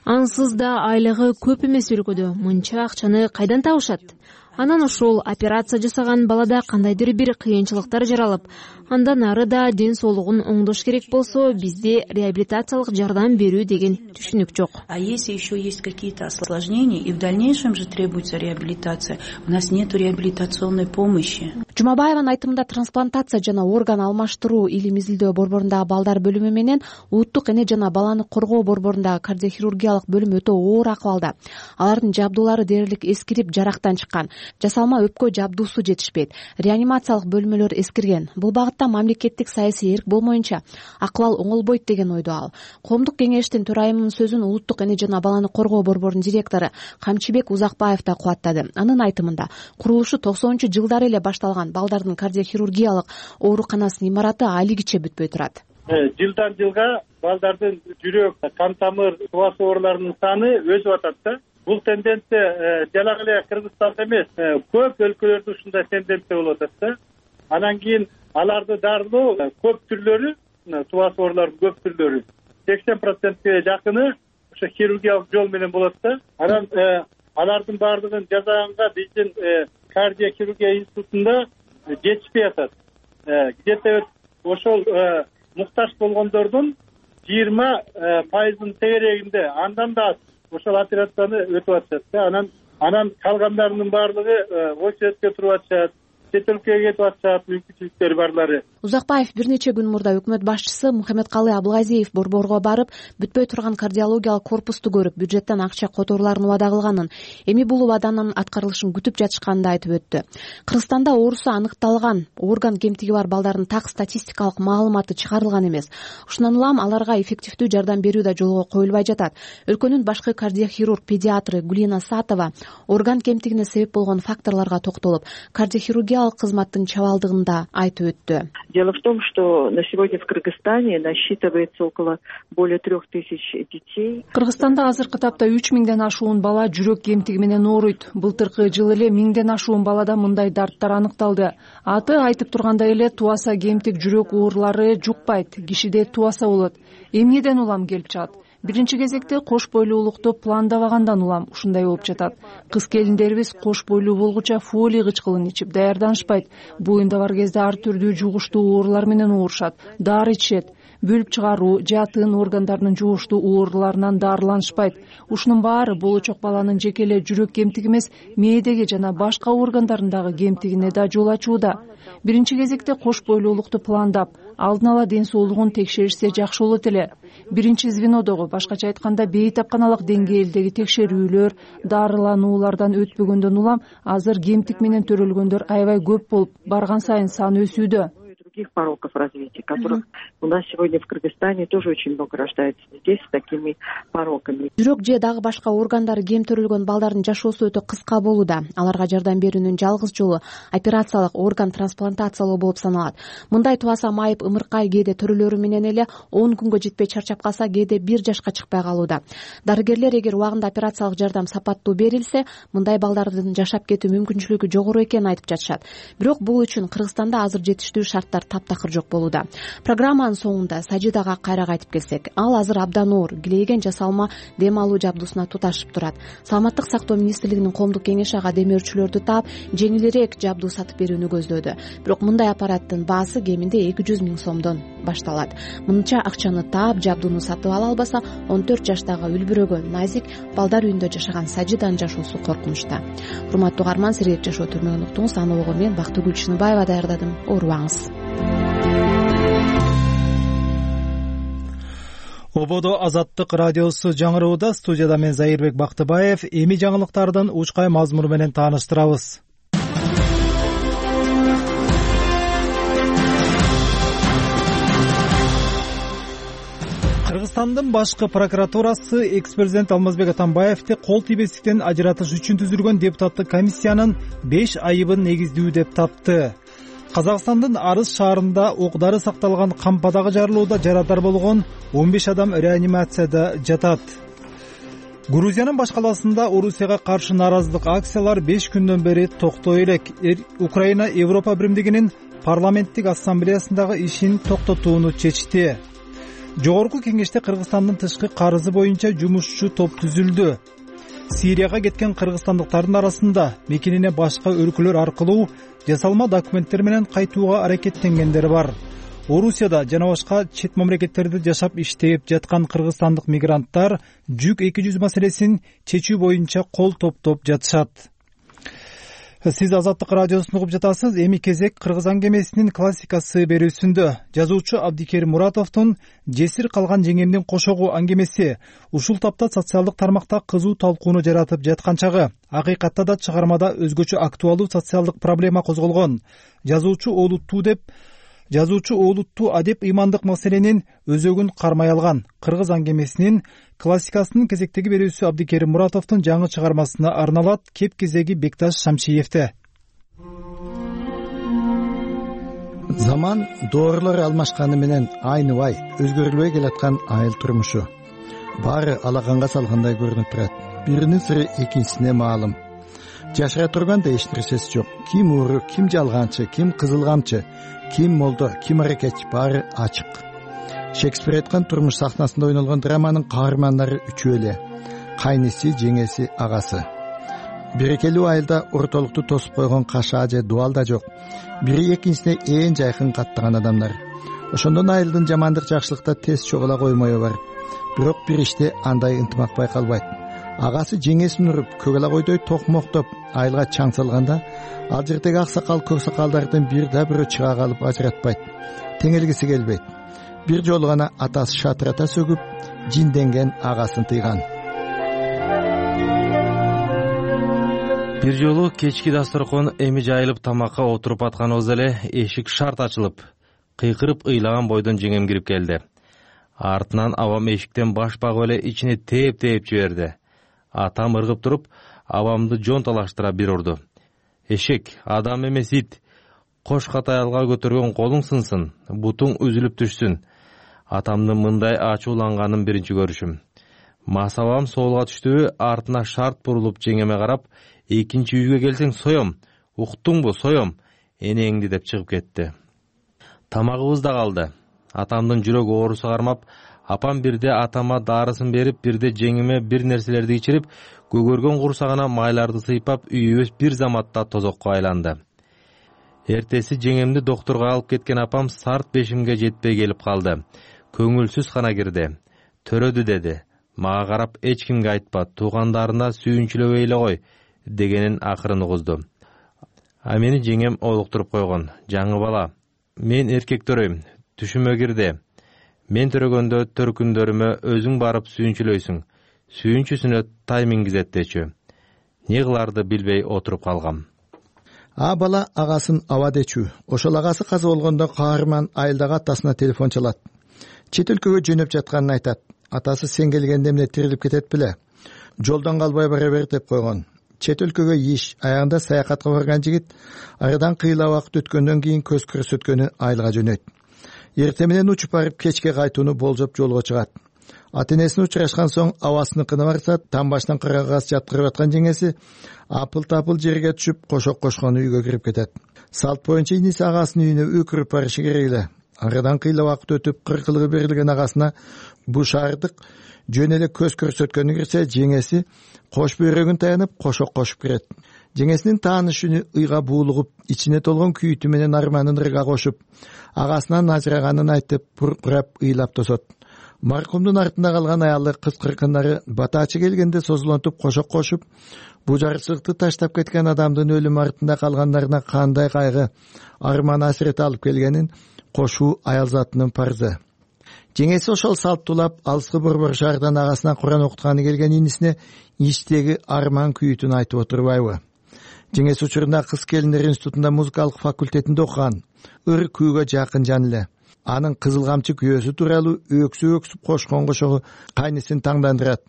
Ансыз да айлыгы көп эмес өлкөдө мынча акчаны кайдан табышат? Анан ошол операция жасаган балада кандайдыр бир кыйынчылыктар жаралып, андан ары да ден соолугун оңдош керек болсо, бизде реабилитациялык жардам берүү деген түшүнүк жок. А если еще есть какие-то осложнения и в дальнейшем же требуется реабилитация, у нас нет реабилитационной помощи. Жумабаеванын айтымында трансплантация жана орган алмаштыруу илим изилдөө борборундагы балдар бөлүмү менен улуттук эне жана баланы коргоо борборундагы кардиохирургиялык бөлүм өтө оор акыбалда. Алардын жабдуулары дээрлик эскирип, жарактан чыккан. Жасалма өпкө жабдуусу жетишпейт. Реанимациялык бөлмөлөр эскирген. Бул багытта мамлекеттик саясий эрк болмоюнча акыбал оңолбойт деген ойдо ал. Коомдук кеңештин төрайымынын сөзүн улуттук эне жана баланы коргоо борборунун директору Камчыбек Узакбаев да кубаттады. Анын айтымында курулушу токсонунчу жылдары эле башталган балдардын кардиохирургиялык ооруканасынын имараты алигиче бүтпөй турат. Жылдан жылга балдардын жүрөк, кан тамыр, субас ооруларынын саны өсүп атат да. Бул тенденция жалаң эле Кыргызстанда эмес, көп өлкөлөрдө ушундай тенденция болуп атат да. Анан кийин аларды дарылоо көп түрлөрү, тубас оорулардын көп түрлөрү сексен процентке жакыны ошо хирургиялык жол менен болот да. Анан алардын баардыгын жасаганга биздин кардиохирургия институтунда жетишпей атат. Где то ошол муктаж болгондордун жыйырма пайызынын тегерегинде андан да аз ошол операцияны өтүп атышат да. Анан анан калгандарынын баардыгы очередке туруп атышат, чет өлкөгө кетип атышат, мүмкүнчүлүктөрү барлары. Узакбаев бир нече күн мурда өкмөт башчысы Мухаммедкалый Абылгазиев борборго барып, бүтпөй турган кардиологиялык корпусту көрүп, бюджеттен акча которууларын убада кылганын, эми бул убаданын аткарылышын күтүп жатышканын айтып өттү. Кыргызстанда оорусу аныкталган орган кемтиги бар балдардын так статистикалык маалыматы чыгарылган эмес. Ушундан улам аларга эффективдүү жардам берүү да жолго коюлбай жатат. Өлкөнүн башкы кардиохирург педиатры Гулина Сатова орган кемтигине себеп болгон факторлорго токтолуп, кардиохирургиялык кызматтын чабалдыгын да айтып өттү. Дело в том, что на сегодня в Кыргызстане насчитывается около более трех тысяч детей. Кыргызстанда азыркы тапта үч миңден ашуун бала жүрөк кемтиги менен ооруйт. Былтыркы жылы эле миңден ашуун балада мындай дарттар аныкталды. Аты айтып тургандай эле туаса кемтик жүрөк оорулары жукпайт, кишиде туаса болот. Эмнеден улам келип чыгат? Биринчи кезекте кош бойлуулукту пландабагандан улам ушундай болуп жатат. Кыз келиндерибиз кош бойлуу болгуча фолий кычкылын ичип даярданышпайт. Буюнда бар кезде ар түрдүү жугуштуу оорулар менен оорушат, дары ичишет. Бөлүп чыгаруу же тын органдарынын жугуштуу ооруларынан дарыланышпайт. Ушунун баары болочок баланын жеке эле жүрөк кемтиги эмес, мээдеги жана башка органдарындагы кемтигине да жол ачууда. Биринчи кезекте кош бойлуулукту пландап, алдын ала ден соолугун текшеришсе жакшы болот эле. Биринчи звенодогу, башкача айтканда бейтапканалык деңгээлдеги текшерүүлөр, дарылануулардан өтпөгөндөн улам азыр кемтик менен төрөлгөндөр аябай көп болуп, барган сайын саны өсүүдө. Других пороков развития, которых у нас сегодня в Кыргызстане тоже очень много рождается здесь с такими пороками. Жүрөк же дагы башка органдары кем төрөлгөн балдардын жашоосу өтө кыска болууда. Аларга жардам берүүнүн жалгыз жолу операциялык орган трансплантациялоо болуп саналат. Мындай туаса майып ымыркай кээде төрөлөрү менен эле он күнгө жетпей чарчап калса, кээде бир жашка чыкпай калууда. Дарыгерлер эгер убагында операциялык жардам сапаттуу берилсе, мындай балдардын жашап кетүү мүмкүнчүлүгү жогору экенин айтып жатышат. Бирок бул үчүн Кыргызстанда азыр жетиштүү шарттар таптакыр жок болууда. Программанын соңунда Сажидага кайра кайтып келсек, ал азыр абдан оор, килейген жасалма дем алуу жабдуусуна туташып турат. Саламаттык сактоо министрлигинин коомдук кеңеши ага демөөрчүлөрдү таап, жеңилирээк жабдуу сатып берүүнү көздөөдү. Бирок мындай аппараттын баасы кеминде эки жүз миң сомдон башталат. Мынча акчаны таап, жабдууну сатып ала албаса, он төрт жаштагы үлбүрөгөн назик балдар үйүндө жашаган Сажиданын жашоосу коркунучта. Урматтуу угарман, сергек жашоо түрмөгүн уктуңуз. Аны ого мен Бактыгүл Чыныбаева даярдадым. Оорубаңыз. Ободо Азаттык радиосу жаңырууда. Студияда мен Заирбек Бактыбаев. Эми жаңылыктардын учкай мазмуну менен тааныштырабыз. Кыргызстандын башкы прокуратурасы экс-президент Алмазбек Атамбаевди кол тийбестиктен ажыратыш үчүн түзүлгөн депутаттык комиссиянын беш айыбын негиздүү деп тапты. Казакстандын Арыс шаарында оокдары сакталган кампадагы жарылууда жарадар болгон он беш адам реанимацияда жатат. Грузиянын баш каласында Орусияга каршы нааразылык акциялар беш күндөн бери токтой элек. Украина Европа биримдигинин парламенттик ассамблеясындагы ишин токтотууну чечти. Жогорку кеңеште Кыргызстандын тышкы карызы боюнча жумушчу топ түзүлдү. Сирияга кеткен кыргызстандыктардын арасында мекенине башка өлкөлөр аркылуу жасалма документтер менен кайтууга аракеттенгендер бар. Орусияда жана башка чет мамлекеттерде жашап иштеп жаткан кыргызстандык мигранттар жүк эки жүз маселесин чечүү боюнча кол топтоп жатышат. Сиз Азаттык радиосун угуп жатасыз. Эми кезек Кыргыз аңгемесинин классикасы берүүсүндө. Жазуучу Абдикерим Муратовдун Жесир калган жеңемдин кошогу аңгемеси ушул тапта социалдык тармакта кызуу талкууну жаратып жаткан чагы. Акыйкатта да чыгармада өзгөчө актуалдуу социалдык проблема козголгон. Жазуучу олуттуу деп Жазуучу олуттуу адеп ыймандык маселенин өзөгүн кармай алган. Кыргыз аңгемесинин классикасынын кезектеги берүүсү Абдикерим Муратовдун жаңы чыгармасына арналат. Кеп кезеги Бекташ Шамшиевде. Заман доорлор алмашканы менен айныбай өзгөрүлбөй келаткан айыл турмушу. Баары алаганга салгандай көрүнүп турат. Биринин сыры экинчисине маалым. Жашыра турганда эч нерсеси жок. Ким ууру, ким жалганчы, ким кызыл камчы, ким молдо, ким аракетчи баары ачык. Шекспир айткан турмуш сахнасында ойнолгон драманын каармандары үчөө эле: кайниси, жеңеси, агасы. Берекелүү айылда ортолукту тосуп койгон кашаа же дубал да жок. Бири экинчисине ээн жайкын каттаган адамдар. Ошондон айылдын жамандык жакшылыкта тез чогула коймою бар. Бирок бир иште андай ынтымак байкалбайт. Агасы жеңесин уруп, көгала койдой токмоктоп айылга чаң салганда, ал жердеги аксакал көк сакалдардын бир да бирөө чыга калып ажыратпайт, теңелгиси келбейт. Бир жолу гана атасы шатырата сөгүп, жинденген агасын тыйган. Бир жолу кечки дасторкон эми жайылып тамакка отуруп атканыбызда эле эшик шарт ачылып, кыйкырып ыйлаган бойдон жеңем кирип келди. Артынан абам эшиктен баш багып эле ичине тээп-тээп жиберди. Атам ыргып туруп, абамды жон талаштыра бир урду. Эшек, адам эмес ит. Кош катаялга көтөргөн колуң сынсын, бутуң үзүлүп түшсүн. Атамдын мындай ачууланганын биринчи көрүшүм. Масабам соолга түштүбү, артына шарт бурулуп жеңеме карап, экинчи үйгө келсең соем, уктуңбу, соем, энеңди деп чыгып кетти. Тамагыбыз да калды. Атамдын жүрөк оорусу кармап, апам бирде атама дарысын берип, бирде жеңиме бир нерселерди ичирип, көгөргөн курсагына майларды сыйпап, үйүбүз бир заматта тозокко айланды. Эртеси жеңемди доктурга алып кеткен апам сарт бешимге жетпей келип калды. Көңүлсүз гана кирди. Төрөдү деди. Мага карап эч кимге айтпа, туугандарына сүйүнчүлөбөй эле кой дегенин акырын угузду. А мени жеңем олуктуруп койгон. Жаңы бала, мен эркек төрөйм, түшүмө кирди. Мен төрөгөндө төркүндөрүмө өзүң барып сүйүнчүлөйсүң. Сүйүнчүсүнө тай мингизет дечү. Не кыларды билбей отуруп калгам. А бала агасын аба дечү. Ошол агасы каза болгондо каарман айылдагы атасына телефон чалат. Чет өлкөгө жөнөп жатканын айтат. Атасы сен келгенде эмне тирилип кетет беле? Жолдон калбай бара бер деп койгон. Чет өлкөгө иш, аягында саякатка барган жигит арадан кыйла убакыт өткөндөн кийин көз көрсөткөнү айылга жөнөйт. Эртең менен учуп барып кечке кайтууну болжоп жолго чыгат. Ата-энесине учурашкан соң абасыныкына барса, там башынан кырагас жаткырып аткан жеңеси апыл-тапыл жерге түшүп, кошок кошкон үйгө кирип кетет. Салт боюнча иниси агасынын үйүнө өкүрүп барышы керек эле. Арадан кыйла убакыт өтүп, кыркылыгы берилген агасына бу шаардык жөн эле көз көрсөткөнү кирсе, жеңеси кош бөйрөгүн таянып, кошок кошуп кирет. Жеңесинин тааныш үнү ыйга буулугуп, ичине толгон күйүтү менен арманын ырга кошуп, агасынан ажыраганын айтып, буркурап ыйлап тосот. Маркумдун артында калган аялы кыз-кыркындары батачы келгенде созулонтуп кошок кошуп, бу жарчылыкты таштап кеткен адамдын өлүмү артында калгандарына кандай кайгы, арман асирет алып келгенин кошуу аял затынын парзы. Жеңеси ошол салттуулап, алыскы борбор шаардан агасына Куран окутканы келген инисине ичтеги арман күйүтүн айтып отурбайбы? Жеңеси учурунда кыз келиндер институтунда музыкалык факультетинде окуган, ыр күүгө жакын жан эле. Анын кызыл камчы күйөөсү тууралуу өксүп өксүп кошкон кошогу кайнысын таңдандырат.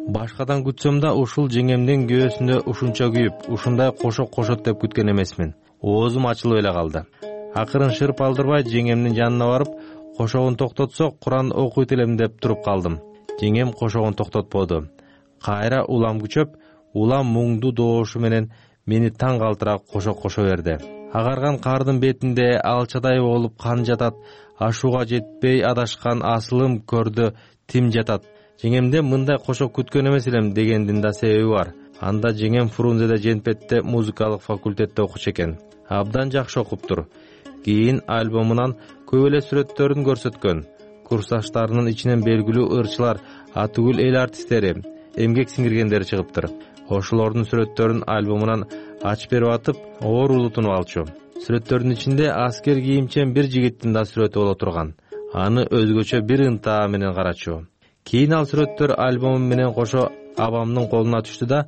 Башкадан күтсөм да ушул жеңемдин күйөөсүндө ушунча күйүп, ушундай кошок кошот деп күткөн эмесмин. Оозум ачылып эле калды. Акырын шырп алдырбай жеңемдин жанына барып, кошогун токтотсок, Куран окуйт элем деп туруп калдым. Жеңем кошогун токтотподу. Кайра улам күчөп, улам муңду доошу менен мени таң калтыра кошок кошо берди. Агарган кардын бетинде алчадай болуп кан жатат, ашууга жетпей адашкан асылым көрдү тим жатат. Жеңемден мындай кошок күткөн эмес элем дегендин да себеби бар. Анда жеңем Фрунзеде Женпетте музыкалык факультетте окучу экен. Абдан жакшы окуптур. Кийин альбомунан көп эле сүрөттөрүн көрсөткөн. Курсташтарынын ичинен белгилүү ырчылар, атүгүл эл артисттери, эмгек сиңиргендери чыгыптыр. Ошолордун сүрөттөрүн альбомунан ачып берип атып, оорулуу тунуп алчу. Сүрөттөрдүн ичинде аскер кийимчен бир жигиттин да сүрөтү боло турган. Аны өзгөчө бир ынтаа менен карачу. Кийин ал сүрөттөр альбомум менен кошо абамдын колуна түштү да,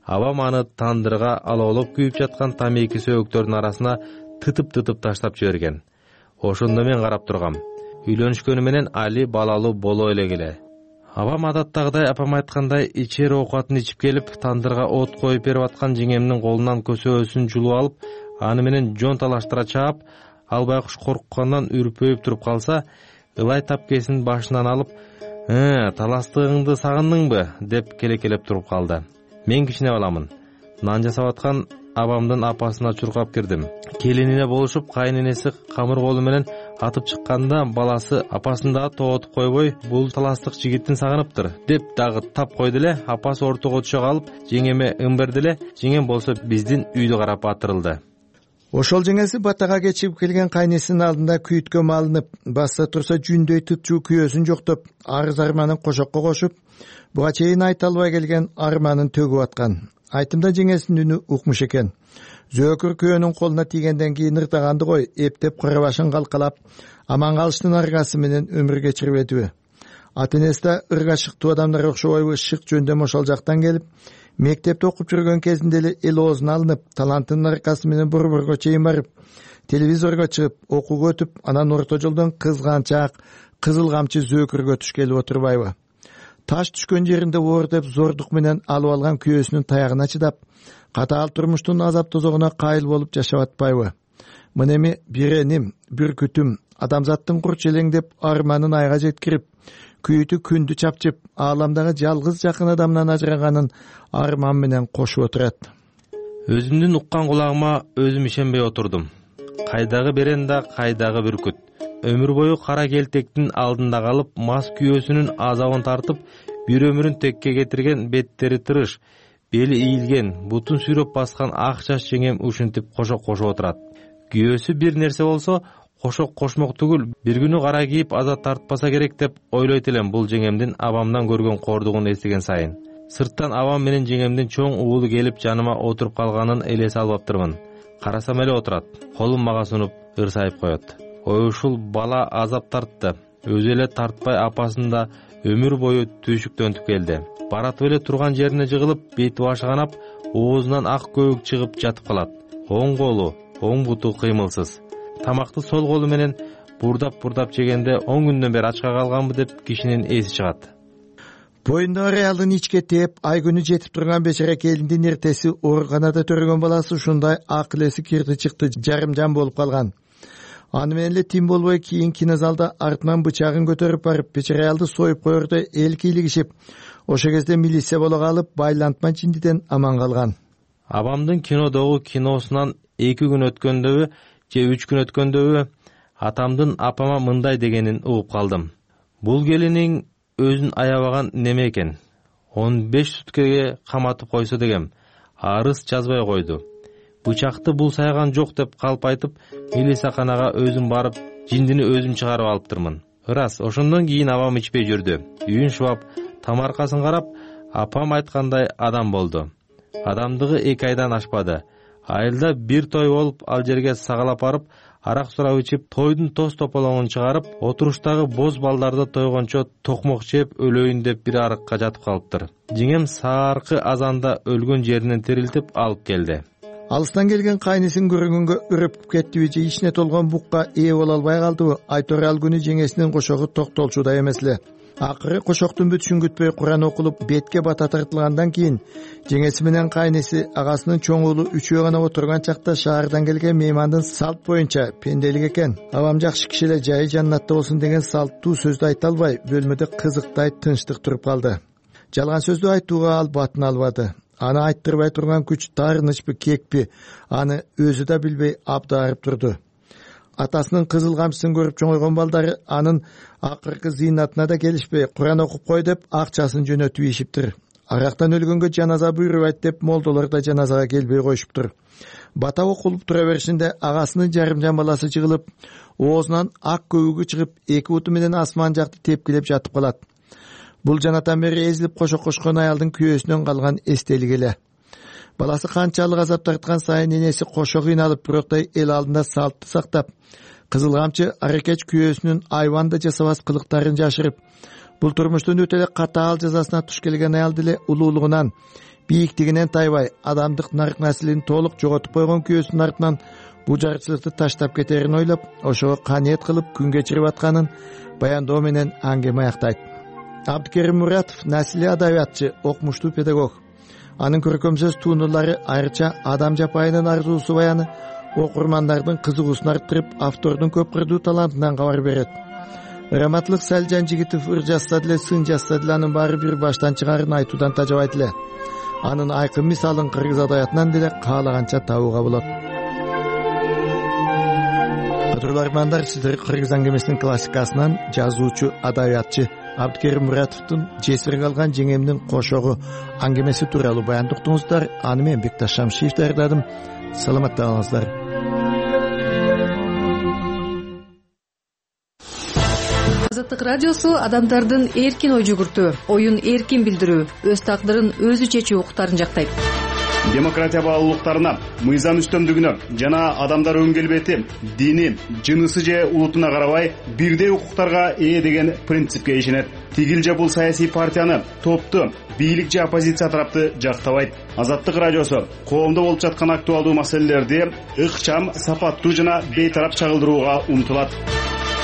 абам аны тандырга алоолоп күйүп жаткан тамеки сөөгүктөрдүн арасына тытып-тытып таштап жиберген. Ошондо мен карап тургам. Үйлөнүшкөнү менен али балалуу боло элек эле. Абам адаттагыдай апам айткандай ичер оокатын ичип келип, тандырга от коюп берип аткан жеңемдин колунан көсөөсүн жулуп алып, аны менен жон талаштыра чаап, ал байкуш корккандан үрпөйүп туруп калса, ылай тапкесин башынан алып, «Э, таластыгыңды сагындыңбы?» деп келекелеп туруп калды. Мен кичине баламын. Нан жасап аткан абамдын апасына чуркап кирдим. келинине болушуп, кайненеси камыр колу менен атып чыкканда баласы апасын дагы тоотуп койбой, бул таластык жигиттин сагыныптыр деп дагы тап койду эле. Апасы ортого түшө калып, жеңеме ың берди эле. Жеңем болсо биздин үйдү карап атырылды. Ошол жеңеси батага кечип келген кайнесинин алдында күйүткө малынып, басса турса жүндөй тытчуу күйөөсүн жоктоп, арыз арманын кошокко кошуп, буга чейин айта албай келген арманын төгүп аткан. Айтымда жеңесинин үнү укмуш экен. Зөөкүр күйөөнүн колуна тийгенден кийин ыртаганды кой, эптеп кара башын калкалап, аман калыштын аргасы менен өмүр кечирбедиби? Ата-энеси да ырга шыктуу адамдар окшобойбу, шык жөндөм ошол жактан келип, мектепте окуп жүргөн кезинде эле эл оозуна алынып, талантынын аркасы менен борборго чейин барып, телевизорго чыгып, окууга өтүп, анан орто жолдон кызганчак, кызыл камчы зөөкүргө туш келип отурбайбы? Таш түшкөн жеринде оор деп зордук менен алып алган күйөөсүнүн таягына чыдап, катаал турмуштун азап тозогуна кайыл болуп жашап атпайбы? Мына эми бир эним, бир күтүм, адамзаттын курч элеңдеп арманын айга жеткирип, күйүтү күндү чапчып, ааламдагы жалгыз жакын адамдан ажыраганын арман менен кошуп отурат. Өзүмдүн уккан кулагыма өзүм ишенбей отурдум. Кайдагы берен да, кайдагы бүркүт. Өмүр бою кара келтектин алдында калып, мас күйөөсүнүн азабын тартып, бир өмүрүн текке кетирген, беттери тырыш, бели ийилген, бутун сүйрөп баскан ак чач жеңем ушинтип кошок кошуп отурат. Күйөөсү бир нерсе болсо, кошок кошмок түгүл, бир күнү кара кийип азат тартпаса керек деп ойлойт элем бул жеңемдин абамдан көргөн кордугун эстеген сайын. Сырттан абам менен жеңемдин чоң уулу келип жаныма отуруп калганын элесе албаптырмын. Карасам эле отурат, колун мага сунуп ырсайып коет. Ой, ушул бала азап тартты. Өзү эле тартпай апасын да өмүр бою түйшүктөнтүп келди. Баратып эле турган жерине жыгылып, бети башы канап, оозунан ак көбүк чыгып жатып калат. Оң колу, оң буту кыймылсыз. Тамакты сол колу менен бурдап-бурдап жегенде он күндөн бери ачка калганбы деп кишинин эси чыгат. Боюндагы аялдын ичке тээп, ай күнү жетип турган бечара келиндин эртеси ооруканада төрөгөн баласы ушундай акыл-эси кирди чыкты, жарым жан болуп калган. Аны менен эле тим болбой кийин кинозалда артынан бычагын көтөрүп барып, бечара аялды союп коерде эл кийлигишип, ошол кезде милиция боло калып, байлантма жиндиден аман калган. Абамдын кинодогу киносунан эки күн өткөндөгү же үч күн өткөндөгү атамдын апама мындай дегенин угуп калдым. Бул келиниң өзүн аябаган неме экен. он беш суткеге каматып койсо дегем, арыз жазбай койду. Бычакты бул сайган жок деп калп айтып, милицияханага өзүм барып, жиндини өзүм чыгарып алыптырмын. Ырас, ошондон кийин абам ичпей жүрдү. Үйүн шубап, тамаркасын карап, апам айткандай адам болду. Адамдыгы эки айдан ашпады. Айылда бир той болуп, ал жерге сагалап барып, арак сурап ичип, тойдун тоз тополоңун чыгарып, отуруштагы боз балдарды тойгончо токмок жеп өлөйүн деп бир арыкка жатып калыптыр. Жеңем сааркы азанда өлгөн жеринен тирилтип алып келди. Алыстан келген кайнысын көргөнгө үрүп кеттиби же ичине толгон букка ээ боло албай калдыбы? Айтор ал күнү жеңесинин кошогу токтолчуда эмес эле. Акыры кошоктун бүтүшүн күтпөй Куран окулуп, бетке бата тартылгандан кийин жеңеси менен кайнысы агасынын чоң уулу үчөө гана отурган чакта шаардан келген меймандын салт боюнча пенделик экен. Абам жакшы киши эле, жайы жаннатта болсун деген салттуу сөздү айта албай, бөлмөдө кызыктай тынчтык туруп калды. Жалган сөздү айтууга ал батын албады. Аны айттырбай турган күч таарынычпы, кекпи, аны өзү да билбей абдаарып турду. Атасынын кызыл камчысын көрүп чоңойгон балдары анын акыркы зыйнатына да келишпей, Куран окуп кой деп акчасын жөнөтүп ийишиптир. Арактан өлгөнгө жаназа буйрубайт деп молдолор да жаназага келбей коюшуптур. Бата окулуп тура беришинде агасынын жарымжан баласы жыгылып, оозунан ак көбүгү чыгып, эки буту менен асман жакты тепкилеп жатып калат. Бул жанатан бери эзилип кошок кошкон аялдын күйөөсүнөн калган эстелик эле. Баласы канчалык азап тарткан сайын энеси кошо кыйналып, бироктай эл алдында салтты сактап, кызыл камчы аракеч күйөөсүнүн айванда жасабас кылыктарын жашырып, бул турмуштун өтө эле катаал жазасына туш келген аялды эле улуулугунан, бийиктигинен тайбай, адамдык нарк наслин толук жоготуп койгон күйөөсүнүн артынан бул жарчылыкты таштап кетерин ойлоп, ошого каниет кылып күн кечирип атканын баяндоо менен аңгеме аяктайт. Абдыкерим Муратов наслий адабиятчы, окумуштуу педагог. Анын көркөм сөз туунуулары айрыча адам жапайынын арзуусу баяны окурмандардын кызыгуусун арттырып, автордун көп кырдуу талантынан кабар берет. Раматлык Салжан Жигитов ыр жазса деле, сын жазса деле анын баары бир баштан чыгарын айтуудан тажабайт эле. Анын айкын мисалын кыргыз адабиятынан деле каалаганча табууга болот. Кадырлуу угармандар, сиздер Кыргыз аңгемесинин классикасынан жазуучу, адабиятчы Абдыкерим Муратовдун жесир калган жеңемдин кошогу аңгемеси тууралуу баянды уктуңуздар. Аны мен Бекташ Шамшиев даярдадым. Саламатта калыңыздар. Азаттык радиосу адамдардын эркин ой жүгүртүү, оюн эркин билдирүү, өз тагдырын өзү чечүү укуктарын жактайт. Демократия баалуулуктарына, мыйзам үстөмдүгүнө жана адамдар өн келбети, дини, жынысы же улутуна карабай бирдей укуктарга ээ деген принципке ишенет. Тигил же бул саясий партияны, топту, бийлик же оппозиция тарапты жактабайт. Азаттык радиосу коомдо болуп жаткан актуалдуу маселелерди ыкчам, сапаттуу жана бейтарап чагылдырууга умтулат.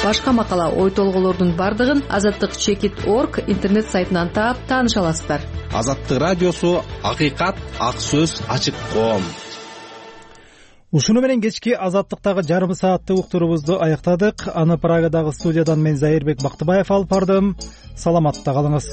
Башка макала, ой толголордун бардыгын азаттык чекит точка орг интернет сайтынан таап тааныша аласыздар. Азаттык радиосу акыйкат, ак сөз, ачык коом. Ушуну менен кечки азаттыктагы жарым сааттык уктурубузду аяктадык. Аны Прагадагы студиядан мен Зайырбек Бактыбаев алып бардым. Саламатта калыңыз.